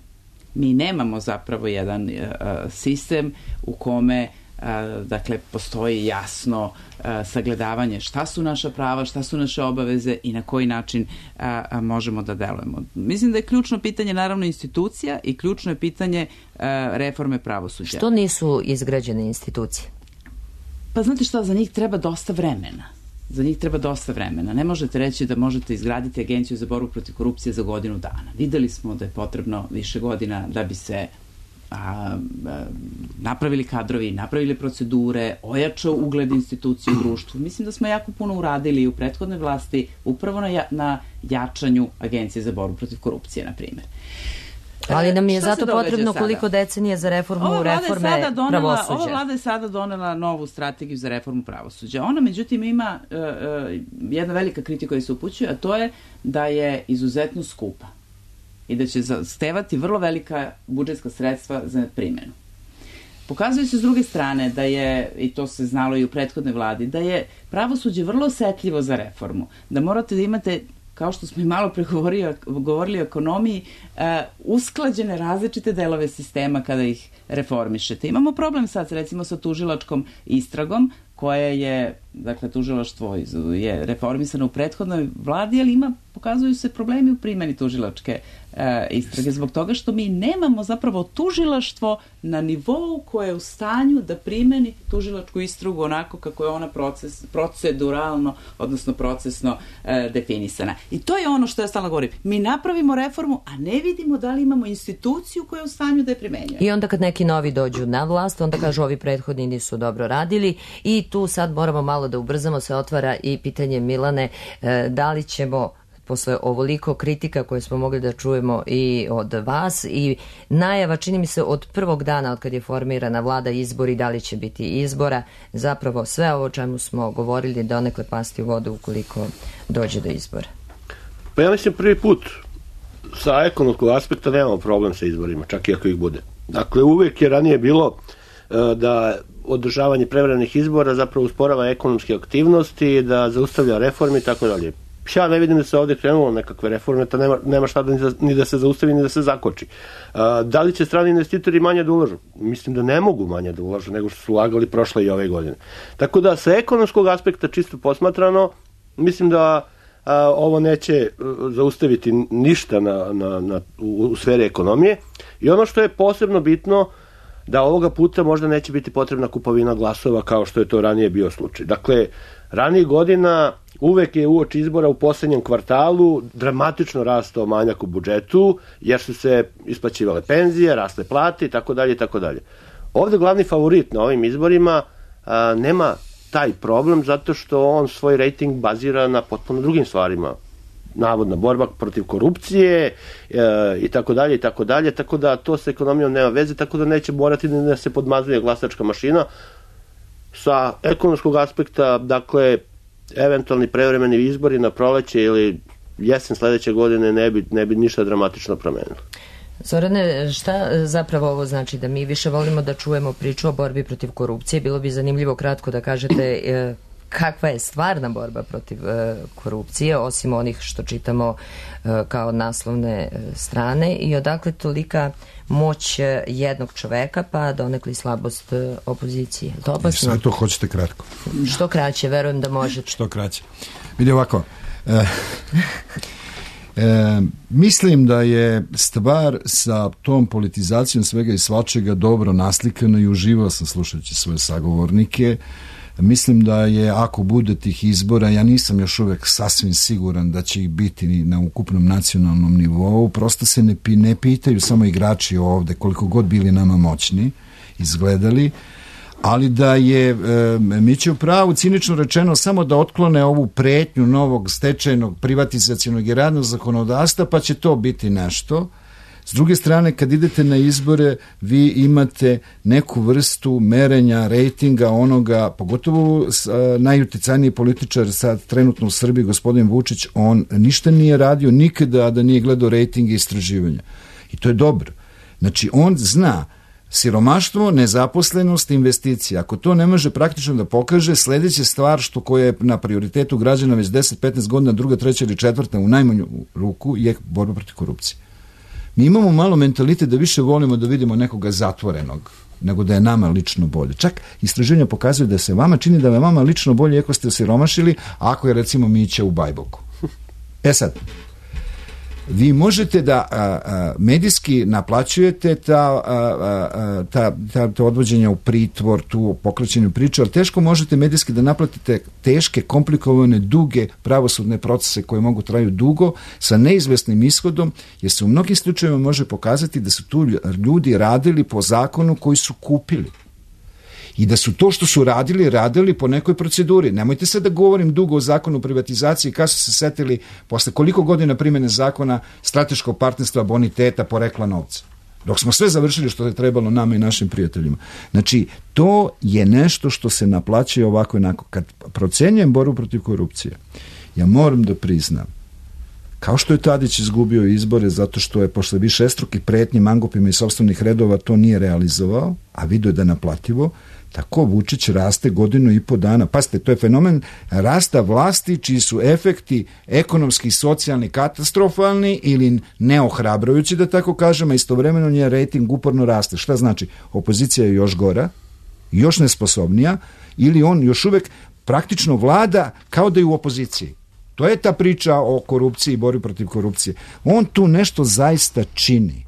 [SPEAKER 5] Mi nemamo zapravo jedan sistem u kome dakle postoji jasno sagledavanje šta su naša prava, šta su naše obaveze i na koji način možemo da delujemo. Mislim da je ključno pitanje naravno institucija i ključno je pitanje reforme pravosuđa.
[SPEAKER 2] Što nisu izgrađene institucije?
[SPEAKER 5] Pa znate šta, za njih treba dosta vremena. Ne možete reći da možete izgraditi agenciju za borbu protiv korupcije za godinu dana. Videli smo da je potrebno više godina da bi se napravili kadrovi, napravili procedure, ojačao ugled institucije u društvu. Mislim da smo jako puno uradili u prethodnoj vlasti upravo na jačanju Agencije za borbu protiv korupcije, na primjer.
[SPEAKER 2] Ali nam je zato potrebno koliko decenija za reforme pravosuđa.
[SPEAKER 5] Ova vlada je sada donela novu strategiju za reformu pravosuđa. Ona, međutim, ima jedna velika kritika koja se upućuje, a to je da je izuzetno skupa i da će zahtevati vrlo velika budžetska sredstva za primjenu. Pokazuje se s druge strane da je, i to se znalo i u prethodnoj vladi, da je pravosuđe vrlo osetljivo za reformu. Da morate da imate, kao što smo i malo pre govorili o ekonomiji, usklađene različite delove sistema kada ih reformišete. Imamo problem sad recimo sa tužilačkom istragom, koje je, dakle, tužilaštvo je reformisano u prethodnoj vladi, ali pokazuju se problemi u primjeni tužilačke istrage, zbog toga što mi nemamo zapravo tužilaštvo na nivou koje je u stanju da primeni tužilačku istragu onako kako je ona proceduralno, odnosno procesno definisana. I to je ono što ja stalno govorim. Mi napravimo reformu, a ne vidimo da li imamo instituciju koja je u stanju da je primenjuje.
[SPEAKER 2] I onda kad neki novi dođu na vlast, onda kažu ovi prethodni nisu dobro radili i tu sad moramo malo da ubrzamo, se otvara i pitanje, Milane, da li ćemo posle ovoliko kritika koje smo mogli da čujemo i od vas i najava, čini mi se, od prvog dana od kad je formirana vlada, izbori, da li će biti izbora, zapravo sve ovo o čemu smo govorili donekle pasti u vodu ukoliko dođe do izbora.
[SPEAKER 6] Pa ja mislim prvi put sa ekonomskog aspekta nemamo problem sa izborima, čak i ako ih bude. Dakle, uvek je ranije bilo da održavanje prevremenih izbora zapravo usporava ekonomske aktivnosti, da zaustavlja reforme i tako dalje. Ja ne vidim da se ovdje krenulo nekakve reforme, to nema šta ni da se zaustavi, ni da se zakoči. Da li će strani investitori manje da ulažu? Mislim da ne mogu manje da ulažu nego što su ulagali prošle i ove godine. Tako da sa ekonomskog aspekta čisto posmatrano, mislim da ovo neće zaustaviti ništa u sferi ekonomije. I ono što je posebno bitno, da ovoga puta možda neće biti potrebna kupovina glasova kao što je to ranije bio slučaj. Dakle, ranijih godina uvek je uoči izbora u poslednjem kvartalu dramatično rastao manjak u budžetu, jer su se isplaćivale penzije, rasle plate i tako dalje i tako dalje. Ovde glavni favorit na ovim izborima nema taj problem zato što on svoj rejting bazira na potpuno drugim stvarima. Navodna borba protiv korupcije i tako dalje i tako dalje, tako da to sa ekonomijom nema veze, tako da neće morati da se podmazuje glasačka mašina. Sa ekonomskog aspekta, dakle, eventualni prevremeni izbori na proleće ili jesen sledeće godine ne bi ništa dramatično promenilo.
[SPEAKER 2] Zorane, šta zapravo ovo znači? Da mi više volimo da čujemo priču o borbi protiv korupcije? Bilo bi zanimljivo kratko da kažete kakva je stvarna borba protiv korupcije, osim onih što čitamo kao naslovne strane, i odakle tolika moć jednog čoveka pa donekli slabost opozicije.
[SPEAKER 7] Sve to hoćete kratko.
[SPEAKER 2] Što kraće, verujem da možete.
[SPEAKER 7] Što kraće. Vidi ovako, mislim da je stvar sa tom politizacijom svega i svačega dobro naslikana i uživao sam slušajući svoje sagovornike. Mislim da je, ako bude tih izbora, ja nisam još uvek sasvim siguran da će ih biti na ukupnom nacionalnom nivou, prosto se ne pitaju samo igrači ovde, koliko god bili nama moćni, izgledali, ali da je Mića u pravu, cinično rečeno, samo da otklone ovu pretnju novog stečajnog, privatizacionog i radnog zakonodavstva, pa će to biti nešto. S druge strane, kad idete na izbore, vi imate neku vrstu merenja, rejtinga onoga, pogotovo najuticajniji političar sad trenutno u Srbiji, gospodin Vučić, on ništa nije radio nikada da nije gledao rejtinge i istraživanja. I to je dobro. Znači, on zna Siromaštvo, nezaposlenost, investicija. Ako to ne može praktično da pokaže, sledeća stvar koja je na prioritetu građana već 10-15 godina, druga, treća ili četvrta u najmanju ruku je borba protiv korupcije. Mi imamo malo mentalitet da više volimo da vidimo nekoga zatvorenog nego da je nama lično bolje. Čak istraživanja pokazuju da se vama čini da je vama lično bolje ako ste osiromašili, ako je recimo Mića u Bajboku. Sad, vi možete da medijski naplaćujete ta odvođenja u pritvor, tu pokrećenju priče, ali teško možete medijski da naplatite teške, komplikovane, duge pravosudne procese koje mogu traju dugo sa neizvesnim ishodom, jer se u mnogim slučajevima može pokazati da su tu ljudi radili po zakonu koji su kupili. I da su to što su radili po nekoj proceduri. Nemojte sad da govorim dugo o zakonu o privatizaciji, kada su se setili posle koliko godina primene zakona strateškog partnerstva, boniteta, porekla novca. Dok smo sve završili što je trebalo nama i našim prijateljima. Znači, to je nešto što se naplaćuje ovako i onako. Kad procenjujem borbu protiv korupcije, ja moram da priznam, kao što je Tadić izgubio izbore zato što je posle višestrukih pretnji mangupima i sopstvenih redova to nije realizovao, a vidio je da naplativo, tako Vučić raste godinu i po dana. Pazite, to je fenomen rasta vlasti čiji su efekti ekonomski i socijalni katastrofalni ili neohrabrujući, da tako kažem, a istovremeno nje rejting uporno raste. Šta znači? Opozicija je još gora, još nesposobnija, ili on još uvek praktično vlada kao da je u opoziciji. To je ta priča o korupciji i borbi protiv korupcije. On tu nešto zaista čini.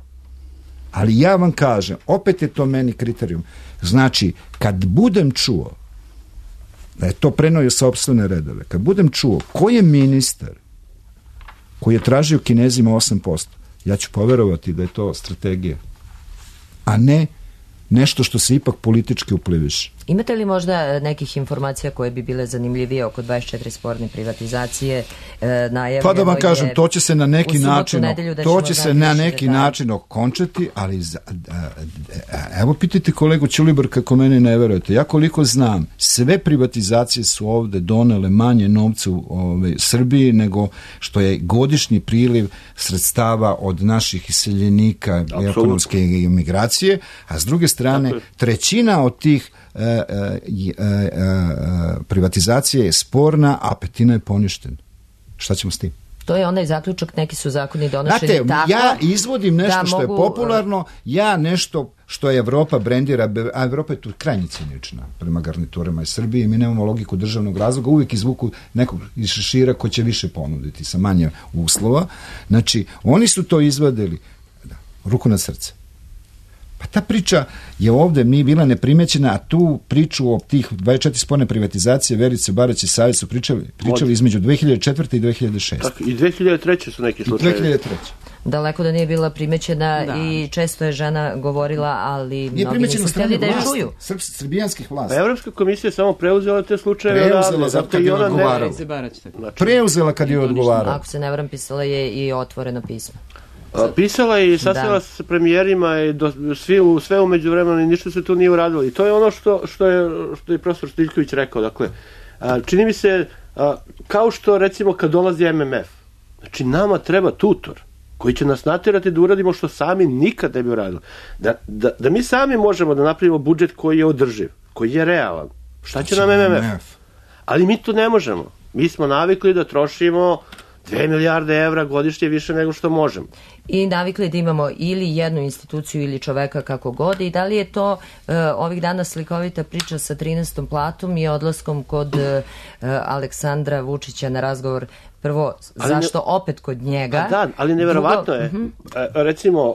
[SPEAKER 7] Ali ja vam kažem, opet je to meni kriterijum. Znači, kad budem čuo da je to preneo sopstvene redove, kad budem čuo ko je ministar koji je tražio Kinezima 8%, ja ću poverovati da je to strategija, a ne nešto što se ipak politički upliviš.
[SPEAKER 2] Imate li možda nekih informacija koje bi bile zanimljivije oko 24 sporne privatizacije?
[SPEAKER 7] Pa da vam kažem, to će se na neki način okončati, ali evo pitajte kolegu Ćulibrka kako mene ne verujete. Ja koliko znam, sve privatizacije su ovde donele manje novca u Srbiji nego što je godišnji priliv sredstava od naših iseljenika i ekonomske imigracije, a s druge strane trećina od tih privatizacija je sporna, a petina je poništena. Šta ćemo s tim?
[SPEAKER 2] To je onaj zaključak, neki su zakoni donošeni tako.
[SPEAKER 7] Ja izvodim nešto što je popularno, ja nešto što je Evropa brendira, a Evropa je tu krajnje cinična prema garniturama iz Srbije, mi nemamo logiku državnog razloga, uvijek izvuku nekog iz šešira ko će više ponuditi sa manje uslova. Znači, oni su to izvadili, ruku na srce. Pa ta priča je ovde mi bila neprimećena, a tu priču o tih 24 sporne privatizacije Verice Barać i Savić su pričali između 2004. i 2006.
[SPEAKER 6] Tako, i 2003. su neki slučajevi.
[SPEAKER 7] 2003.
[SPEAKER 2] Daleko da nije bila primećena i često je žena govorila, ali mnogi nisu htjeli da je čuju.
[SPEAKER 7] Srbijanskih vlasti.
[SPEAKER 6] A Evropska komisija je samo preuzela te slučajeve.
[SPEAKER 7] Preuzela zato kad je odgovarala. Preuzela kad je odgovarala.
[SPEAKER 2] Ako se ne varam, pisala je i otvoreno pismo.
[SPEAKER 6] Pisala je i sastala se sa premijerima i sve umeđu vremena i ništa se tu nije uradilo. I to je ono što je profesor Stiljković rekao. Dakle, čini mi se kao što recimo kad dolazi MMF, znači nama treba tutor koji će nas natjerati da uradimo što sami nikad ne bi uradili. Da mi sami možemo da napravimo budžet koji je održiv, koji je realan. Šta će nam MMF? Ali mi to ne možemo. Mi smo navikli da trošimo 2 milijarde evra godišnje više nego što možemo.
[SPEAKER 2] I navikli da imamo ili jednu instituciju ili čoveka kako god, i da li je to ovih dana slikovita priča sa 13. platom i odlaskom kod Aleksandra Vučića na razgovor, prvo, zašto opet kod njega?
[SPEAKER 6] Da, ali neverovatno je. Recimo,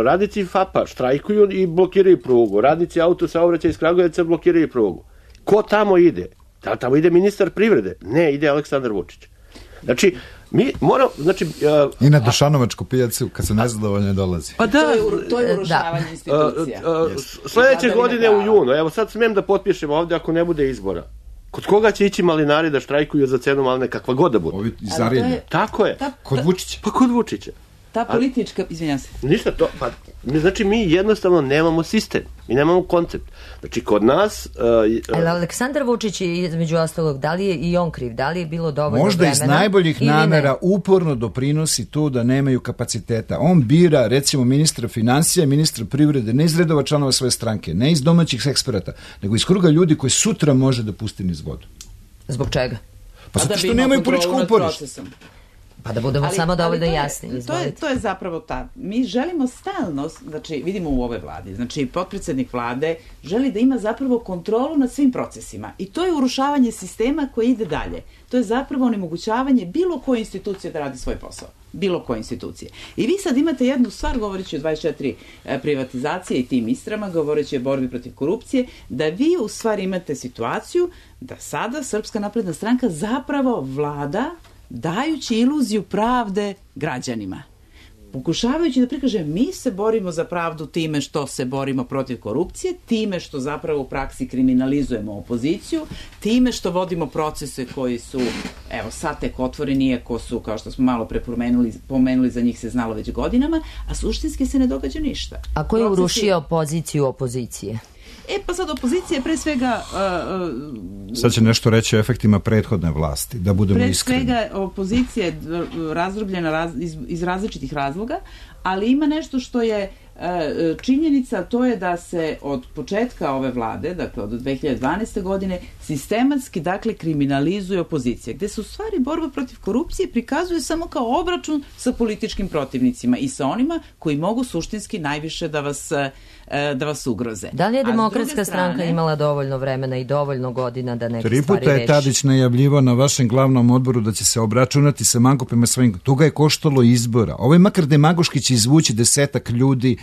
[SPEAKER 6] radnici FAP-a štrajkuju i blokiraju prugu, radnici autosaobraćaja iz Kragujevca blokiraju prugu. Ko tamo ide? Da, tamo ide ministar privrede? Ne, ide Aleksandar Vučić. Znači, mi moramo,
[SPEAKER 7] i na Dušanovačku pijacu kad se nezadovoljno dolazi.
[SPEAKER 5] Pa da, to je urušavanje institucija.
[SPEAKER 6] Sledeće godine u junu, evo sad smem da potpišem ovde ako ne bude izbora. Kod koga će ići malinari da štrajkuju za cenu maline, kakva god da bude?
[SPEAKER 7] Ovi iz Arilja.
[SPEAKER 6] Tako je.
[SPEAKER 7] Kod Vučića.
[SPEAKER 6] Pa kod Vučića.
[SPEAKER 5] ta politička, izvinjam se.
[SPEAKER 6] Ništa to, pa znači mi jednostavno nemamo sistem, mi nemamo koncept. Znači kod nas...
[SPEAKER 2] Ali Aleksandar Vučić je između ostalog, da li je i on kriv, da li je bilo dovoljno
[SPEAKER 7] možda
[SPEAKER 2] vremena?
[SPEAKER 7] Možda iz najboljih namera
[SPEAKER 2] ne?
[SPEAKER 7] uporno doprinosi to da nemaju kapaciteta. On bira recimo ministra financija, ministra privrede, ne iz redova članova svoje stranke, ne iz domaćih eksperata, nego iz kruga ljudi koji sutra može da pusti niz vodu.
[SPEAKER 2] Zbog čega?
[SPEAKER 7] Pa zato što nemaju političko uporište.
[SPEAKER 2] Pa da budemo samo dovoljno jasni.
[SPEAKER 5] To je zapravo mi želimo stalno, znači vidimo u ove vladi, znači potpredsednik vlade želi da ima zapravo kontrolu nad svim procesima i to je urušavanje sistema koji ide dalje. To je zapravo onemogućavanje bilo koje institucije da radi svoj posao. Bilo koje institucije. I vi sad imate jednu stvar, govoreći o 24 privatizacije i tim istrama, govoreći o borbi protiv korupcije, da vi u stvari imate situaciju da sada Srpska napredna stranka zapravo vlada dajući iluziju pravde građanima. Pokušavajući da prikaže mi se borimo za pravdu time što se borimo protiv korupcije, time što zapravo u praksi kriminalizujemo opoziciju, time što vodimo procese koji su, evo sad tek otvoreni, iako su, kao što smo malo pre pomenuli, za njih se znalo već godinama, a suštinski se ne događa ništa.
[SPEAKER 2] A ko je urušio poziciju opozicije?
[SPEAKER 5] Pa sad opozicija je pre svega...
[SPEAKER 7] Sad će nešto reći o efektima prethodne vlasti, da budemo iskreni.
[SPEAKER 5] Pre svega opozicija je razdrobljena iz različitih razloga, ali ima nešto što je činjenica, to je da se od početka ove vlade, dakle od 2012. godine, sistematski, dakle, kriminalizuje opozicija, gde se u stvari borba protiv korupcije prikazuje samo kao obračun sa političkim protivnicima i sa onima koji mogu suštinski najviše da vas ugroze.
[SPEAKER 2] Da li je Demokratska stranka imala dovoljno vremena i dovoljno godina da neke
[SPEAKER 7] 3
[SPEAKER 2] stvari reši?
[SPEAKER 7] 3 puta je Tadić najavljivao na vašem glavnom odboru da će se obračunati sa mankupima svojim. To ga je koštalo izbora. Ovo je makar demagoški će izvući 10 ljudi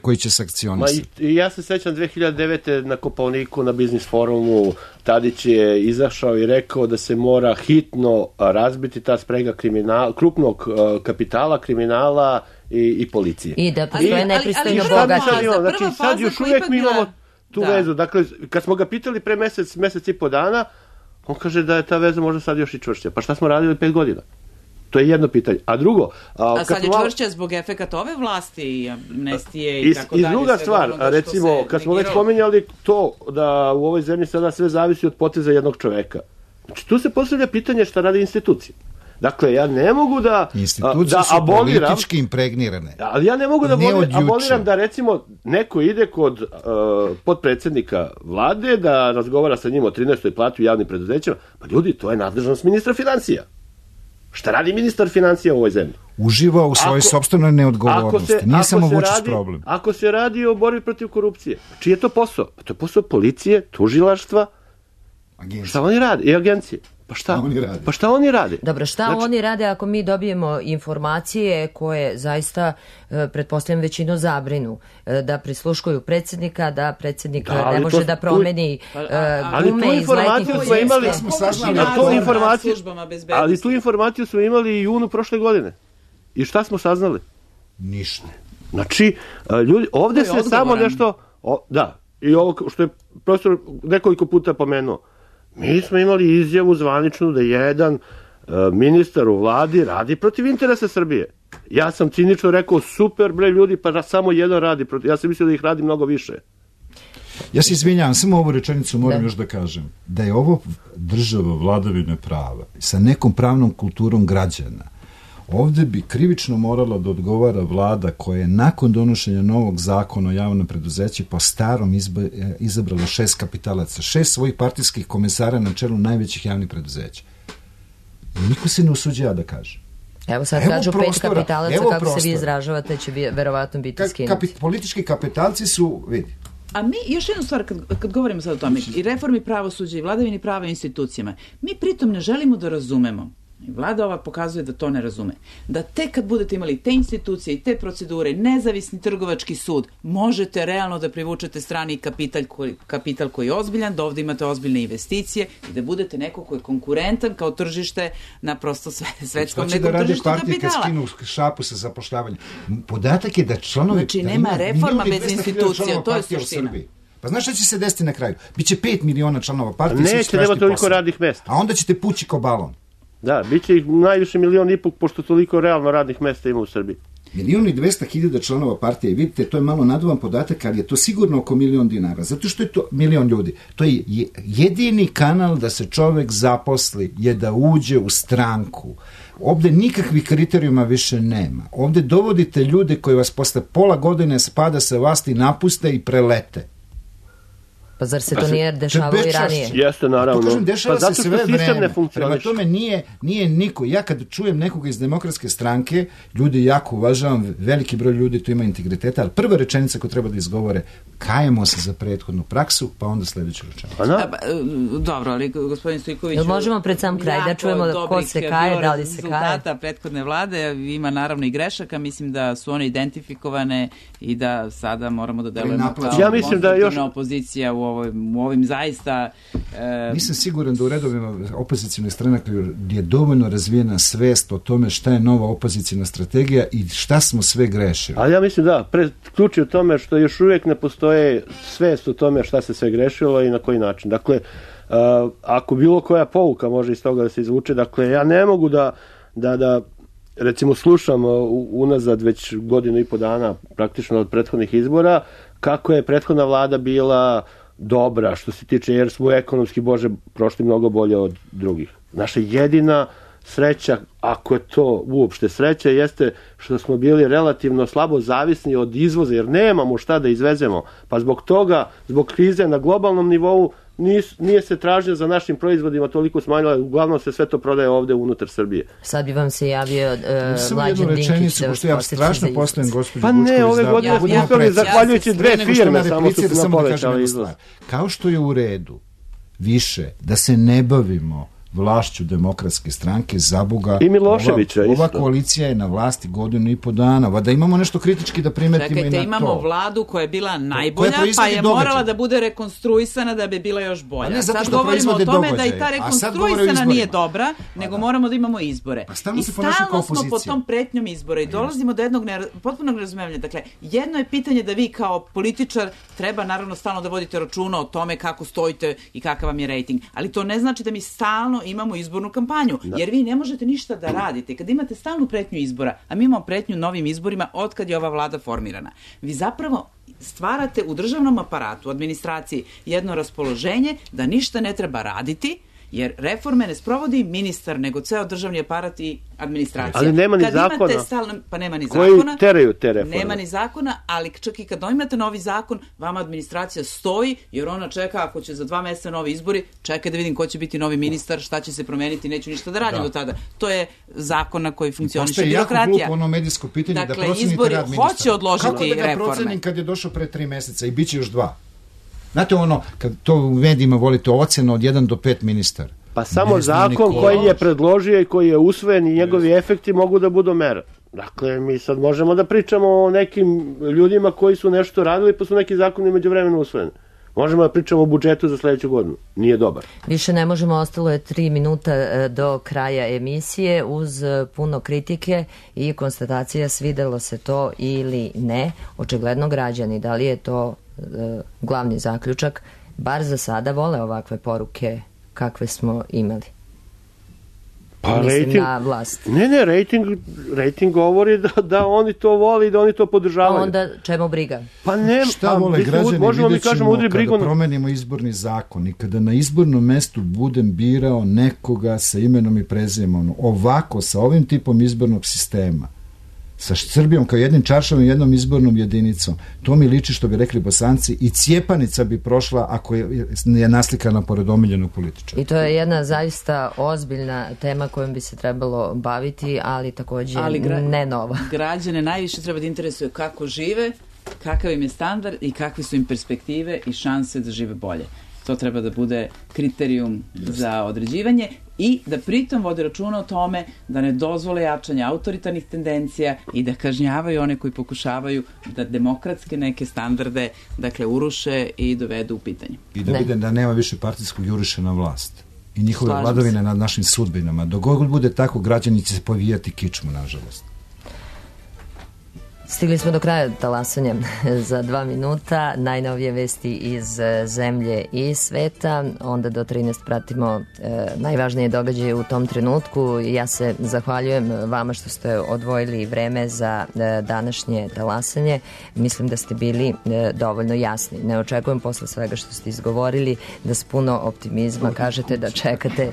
[SPEAKER 7] koji će sankcionisati.
[SPEAKER 6] Ja se sećam 2009. na Kopaoniku, na Biznis forumu, Tadić je izašao i rekao da se mora hitno razbiti ta sprega krupnog kapitala, kriminala i policije.
[SPEAKER 2] I da postoje nepristojno bogati.
[SPEAKER 6] Znači, sad još uvijek mi imamo tu vezu. Dakle, kad smo ga pitali pre mesec i po dana, on kaže da je ta veza možda sad još i čvršća. Pa šta smo radili 5 godina? To je jedno pitanje. A drugo...
[SPEAKER 5] A sad je čvršća zbog efekata ove vlasti i amnestije i tako dalje.
[SPEAKER 6] I druga stvar, recimo, kad smo već spominjali to da u ovoj zemlji sada sve zavisi od poteza jednog čoveka. Znači, tu se postavlja pitanje šta radi institucija. Dakle, ja ne mogu da
[SPEAKER 7] institucije su
[SPEAKER 6] aboliram,
[SPEAKER 7] politički impregnirane.
[SPEAKER 6] Ali ja ne mogu da aboliram da recimo neko ide kod potpredsjednika vlade da razgovara sa njim o 13. plati u javnim preduzećima. Pa ljudi, to je nadležnost ministra financija. Šta radi ministar financija u ovoj zemlji?
[SPEAKER 7] Uživa u svojoj sopstvenoj neodgovornosti. Nije samo Vučić problem.
[SPEAKER 6] Ako se radi o borbi protiv korupcije, čiji je to posao? Pa to je posao policije, tužilaštva, šta oni rade? I agencije. Pa šta oni rade?
[SPEAKER 2] Dobro, šta oni rade ako mi dobijemo informacije koje zaista, pretpostavljam, većinu zabrinu, da prisluškuju predsjednika, da predsjednik ne može da promeni gume iz letnjih
[SPEAKER 6] ali tu informaciju smo imali i junu prošle godine. I šta smo saznali?
[SPEAKER 7] Ništa.
[SPEAKER 6] Znači, ljudi, ovdje se samo nešto... Da, i ovo što je profesor nekoliko puta pomenuo. Mi smo imali izjavu zvaničnu da jedan ministar u vladi radi protiv interesa Srbije. Ja sam cinično rekao, super bre ljudi, pa samo jedan radi protiv. Ja sam mislio da ih radi mnogo više.
[SPEAKER 7] Ja se izvinjavam, samo ovu rečenicu moram još da kažem. Da je ovo država vladavine prava sa nekom pravnom kulturom građana, ovdje bi krivično morala da odgovara vlada koja je nakon donošenja novog zakona o javnom preduzeću po starom izabrala 6 kapitalaca, 6 svojih partijskih komesara na čelu najvećih javnih preduzeća. I niko se ne usuđava da kaže.
[SPEAKER 2] Evo sad kažu 5 kapitalaca, kako se vi izražavate, će verovatno biti skinuti.
[SPEAKER 7] Politički kapitalci su, vidi.
[SPEAKER 5] A mi, još jednu stvar, kad govorimo sad o tome, i reformi pravosuđa i vladavini prava institucijama, mi pritom ne želimo da razumemo. Vlada ova pokazuje da to ne razume. Da tek kad budete imali te institucije i te procedure, nezavisni trgovački sud, možete realno da privučete strani kapital koji je ozbiljan, da ovdje imate ozbiljne investicije i da budete neko koji je konkurentan kao tržište na prosto svetskom nekom tržištu kapitala.
[SPEAKER 7] Što će da radi partije kad skinu šapu sa zapošljavanjem? Podatak je da članovi...
[SPEAKER 5] Znači, nema reforma bez institucija, to je suština.
[SPEAKER 7] Pa znaš šta će se desiti na kraju? Biće 5 miliona članova partije.
[SPEAKER 6] Neće, nema toliko radnih mesta.
[SPEAKER 7] A onda ćete pući ko balon.
[SPEAKER 6] Da, bit će ih najviše 1,5 miliona, pošto toliko realno radnih mesta ima u Srbiji.
[SPEAKER 17] 1.200.000 članova partije. Vidite, to je malo naduvan podatak, ali je to sigurno oko 1.000.000 dinara. Zato što je to 1.000.000 ljudi. To je jedini kanal da se čovek zaposli, je da uđe u stranku. Ovde nikakvih kriterijuma više nema. Ovde dovodite ljude koji vas posle pola godine spada sa vlasti, napuste i prelete.
[SPEAKER 2] Pa zar se to nije dešavalo i ranije?
[SPEAKER 6] Jeste, naravno.
[SPEAKER 17] To kažem, dešava
[SPEAKER 6] pa
[SPEAKER 17] se sve vreme. Prema tome nije niko. Ja kad čujem nekoga iz Demokratske stranke, ljudi jako uvažavam, veliki broj ljudi tu ima integriteta, ali prva rečenica koju treba da izgovore, kajemo se za prethodnu praksu, pa onda sledeću rečenicu.
[SPEAKER 5] Dobro, ali gospodin Stojković...
[SPEAKER 2] Možemo pred sam kraj da čujemo ko se kaje, da li se kaje?
[SPEAKER 5] Rezultata prethodne vlade, ima naravno i grešaka, mislim da su one identifikovane i da sada moramo da delujemo kao konstruktivna opozicija u ovim zaista...
[SPEAKER 17] Nisam siguran da u redovima opozicijne stranaka je dovoljno razvijena svest o tome šta je nova opozicijna strategija i šta smo sve grešili.
[SPEAKER 6] Ali ja mislim da, ključ je u tome što još uvijek ne postoje svest o tome šta se sve grešilo i na koji način. Dakle, ako bilo koja pouka može iz toga da se izvuče, dakle, ja ne mogu da recimo slušam unazad već 1,5 godinu dana praktično od prethodnih izbora, kako je prethodna vlada bila dobra što se tiče, jer smo ekonomski, Bože, prošli mnogo bolje od drugih. Naša jedina sreća, ako je to uopšte sreća, jeste što smo bili relativno slabo zavisni od izvoza, jer nemamo šta da izvezemo. Pa zbog toga, zbog krize na globalnom nivou, nije se tražnja za našim proizvodima toliko smanjila, uglavnom se sve to prodaje ovde unutar Srbije.
[SPEAKER 2] Sad bi vam se javio Mlađan Dinkić da vas
[SPEAKER 17] ja strašno postojem gospođu
[SPEAKER 6] Pa ne, ove godine smo uspeli zahvaljujući 2 firme, samo su nam povećali izvoz.
[SPEAKER 17] Kao što je u redu više da se ne bavimo vlašću Demokratske stranke, za Boga,
[SPEAKER 6] i Miloševića
[SPEAKER 17] ova koalicija je na vlasti 1,5 godina, da imamo nešto kritički da primetimo.
[SPEAKER 5] Čekajte,
[SPEAKER 17] i na to.
[SPEAKER 5] Imamo vladu koja je bila najbolja, pa je morala da bude rekonstruisana da bi bila još bolja. Sad govorimo o tome da i ta rekonstruisana nije dobra, nego moramo da imamo izbore. I stalno smo pod tom pretnjom izbora i dolazimo do jednog potpunog razumevanja. Dakle, jedno je pitanje da vi kao političar treba naravno stalno da vodite računa o tome kako stojite i kakav vam je rejting, ali to ne znači da mi stalno imamo izbornu kampanju, jer vi ne možete ništa da radite. Kad imate stalnu pretnju izbora, a mi imamo pretnju novim izborima od kad je ova vlada formirana, vi zapravo stvarate u državnom aparatu, administraciji, jedno raspoloženje da ništa ne treba raditi, jer reforme ne sprovodi ministar, nego ceo državni aparat i administracija.
[SPEAKER 6] Ali nema ni zakona.
[SPEAKER 5] Pa nema ni
[SPEAKER 6] koji
[SPEAKER 5] zakona.
[SPEAKER 6] Teraju te reforme.
[SPEAKER 5] Nema ni zakona, ali čak i kad imate novi zakon, vama administracija stoji, jer ona čeka, ako će za 2 meseca novi izbori, čekaj da vidim ko će biti novi ministar, šta će se promeniti, neću ništa da radim do tada. To je zakon na koji funkcioniše birokratija.
[SPEAKER 17] Postoje jako glupo ono medijsko pitanje,
[SPEAKER 5] dakle,
[SPEAKER 17] da procenite rad ministra.
[SPEAKER 5] Hoće odložiti reforme.
[SPEAKER 17] Kako da ga procenim kad je došao pre 3 meseca i bit će još 2? Znate ono, kad to u medijima volite ocena od 1 do 5 ministar.
[SPEAKER 6] Pa samo zakon koji je predložio i koji je usvojen i njegovi efekti mogu da budu mera. Dakle, mi sad možemo da pričamo o nekim ljudima koji su nešto radili pa su neki zakoni međuvremeno usvojeni. Možemo da pričamo o budžetu za sledeću godinu. Nije dobar.
[SPEAKER 2] Više ne možemo, ostalo je 3 minuta do kraja emisije uz puno kritike i konstatacija svidelo se to ili ne. Očigledno građani, da li je to glavni zaključak, bar za sada vole ovakve poruke kakve smo imali.
[SPEAKER 6] Pa
[SPEAKER 2] mislim na vlast.
[SPEAKER 6] Ne, rating govori da oni to vole i da oni to podržavaju.
[SPEAKER 2] A onda čemu briga?
[SPEAKER 17] Pa ne, šta vole građani,
[SPEAKER 6] možemo
[SPEAKER 17] vidjet ćemo
[SPEAKER 6] kada
[SPEAKER 17] promenimo izborni zakon i kada na izbornom mestu budem birao nekoga sa imenom i prezimenom, ovako, sa ovim tipom izbornog sistema, sa Srbijom kao jednim čaršavom i jednom izbornom jedinicom, to mi liči, što bi rekli Bosanci, i cijepanica bi prošla ako je naslikana pored omiljenog političara.
[SPEAKER 2] I to je jedna zaista ozbiljna tema kojom bi se trebalo baviti, ali takođe ne nova.
[SPEAKER 5] Građane najviše treba da interesuje kako žive, kakav im je standard i kakve su im perspektive i šanse da žive bolje. To treba da bude kriterijum za određivanje i da pritom vode računa o tome da ne dozvole jačanje autoritarnih tendencija i da kažnjavaju one koji pokušavaju da demokratske neke standarde, dakle, uruše i dovedu u pitanje.
[SPEAKER 17] I da vide da nema više partijskog juriša na vlast i njihove vladavine nad našim sudbinama. Dok god bude tako, građani će se povijati kičmu, nažalost.
[SPEAKER 2] Stigli smo do kraja talasanja za 2 minuta. Najnovije vesti iz zemlje i sveta. Onda do 13 pratimo najvažnije događaje u tom trenutku. Ja se zahvaljujem vama što ste odvojili vreme za današnje talasanje. Mislim da ste bili dovoljno jasni. Ne očekujem posle svega što ste izgovorili da s puno optimizma kažete da čekate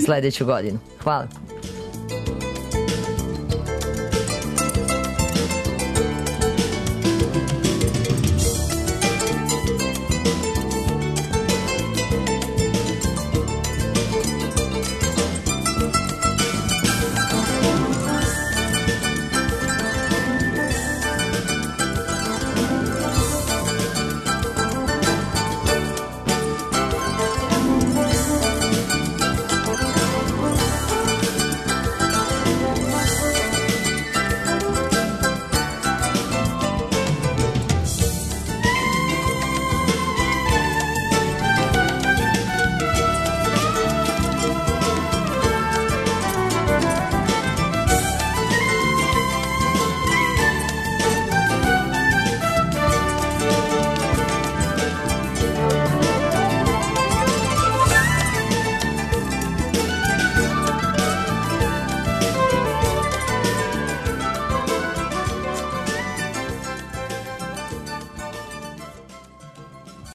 [SPEAKER 2] sledeću godinu. Hvala.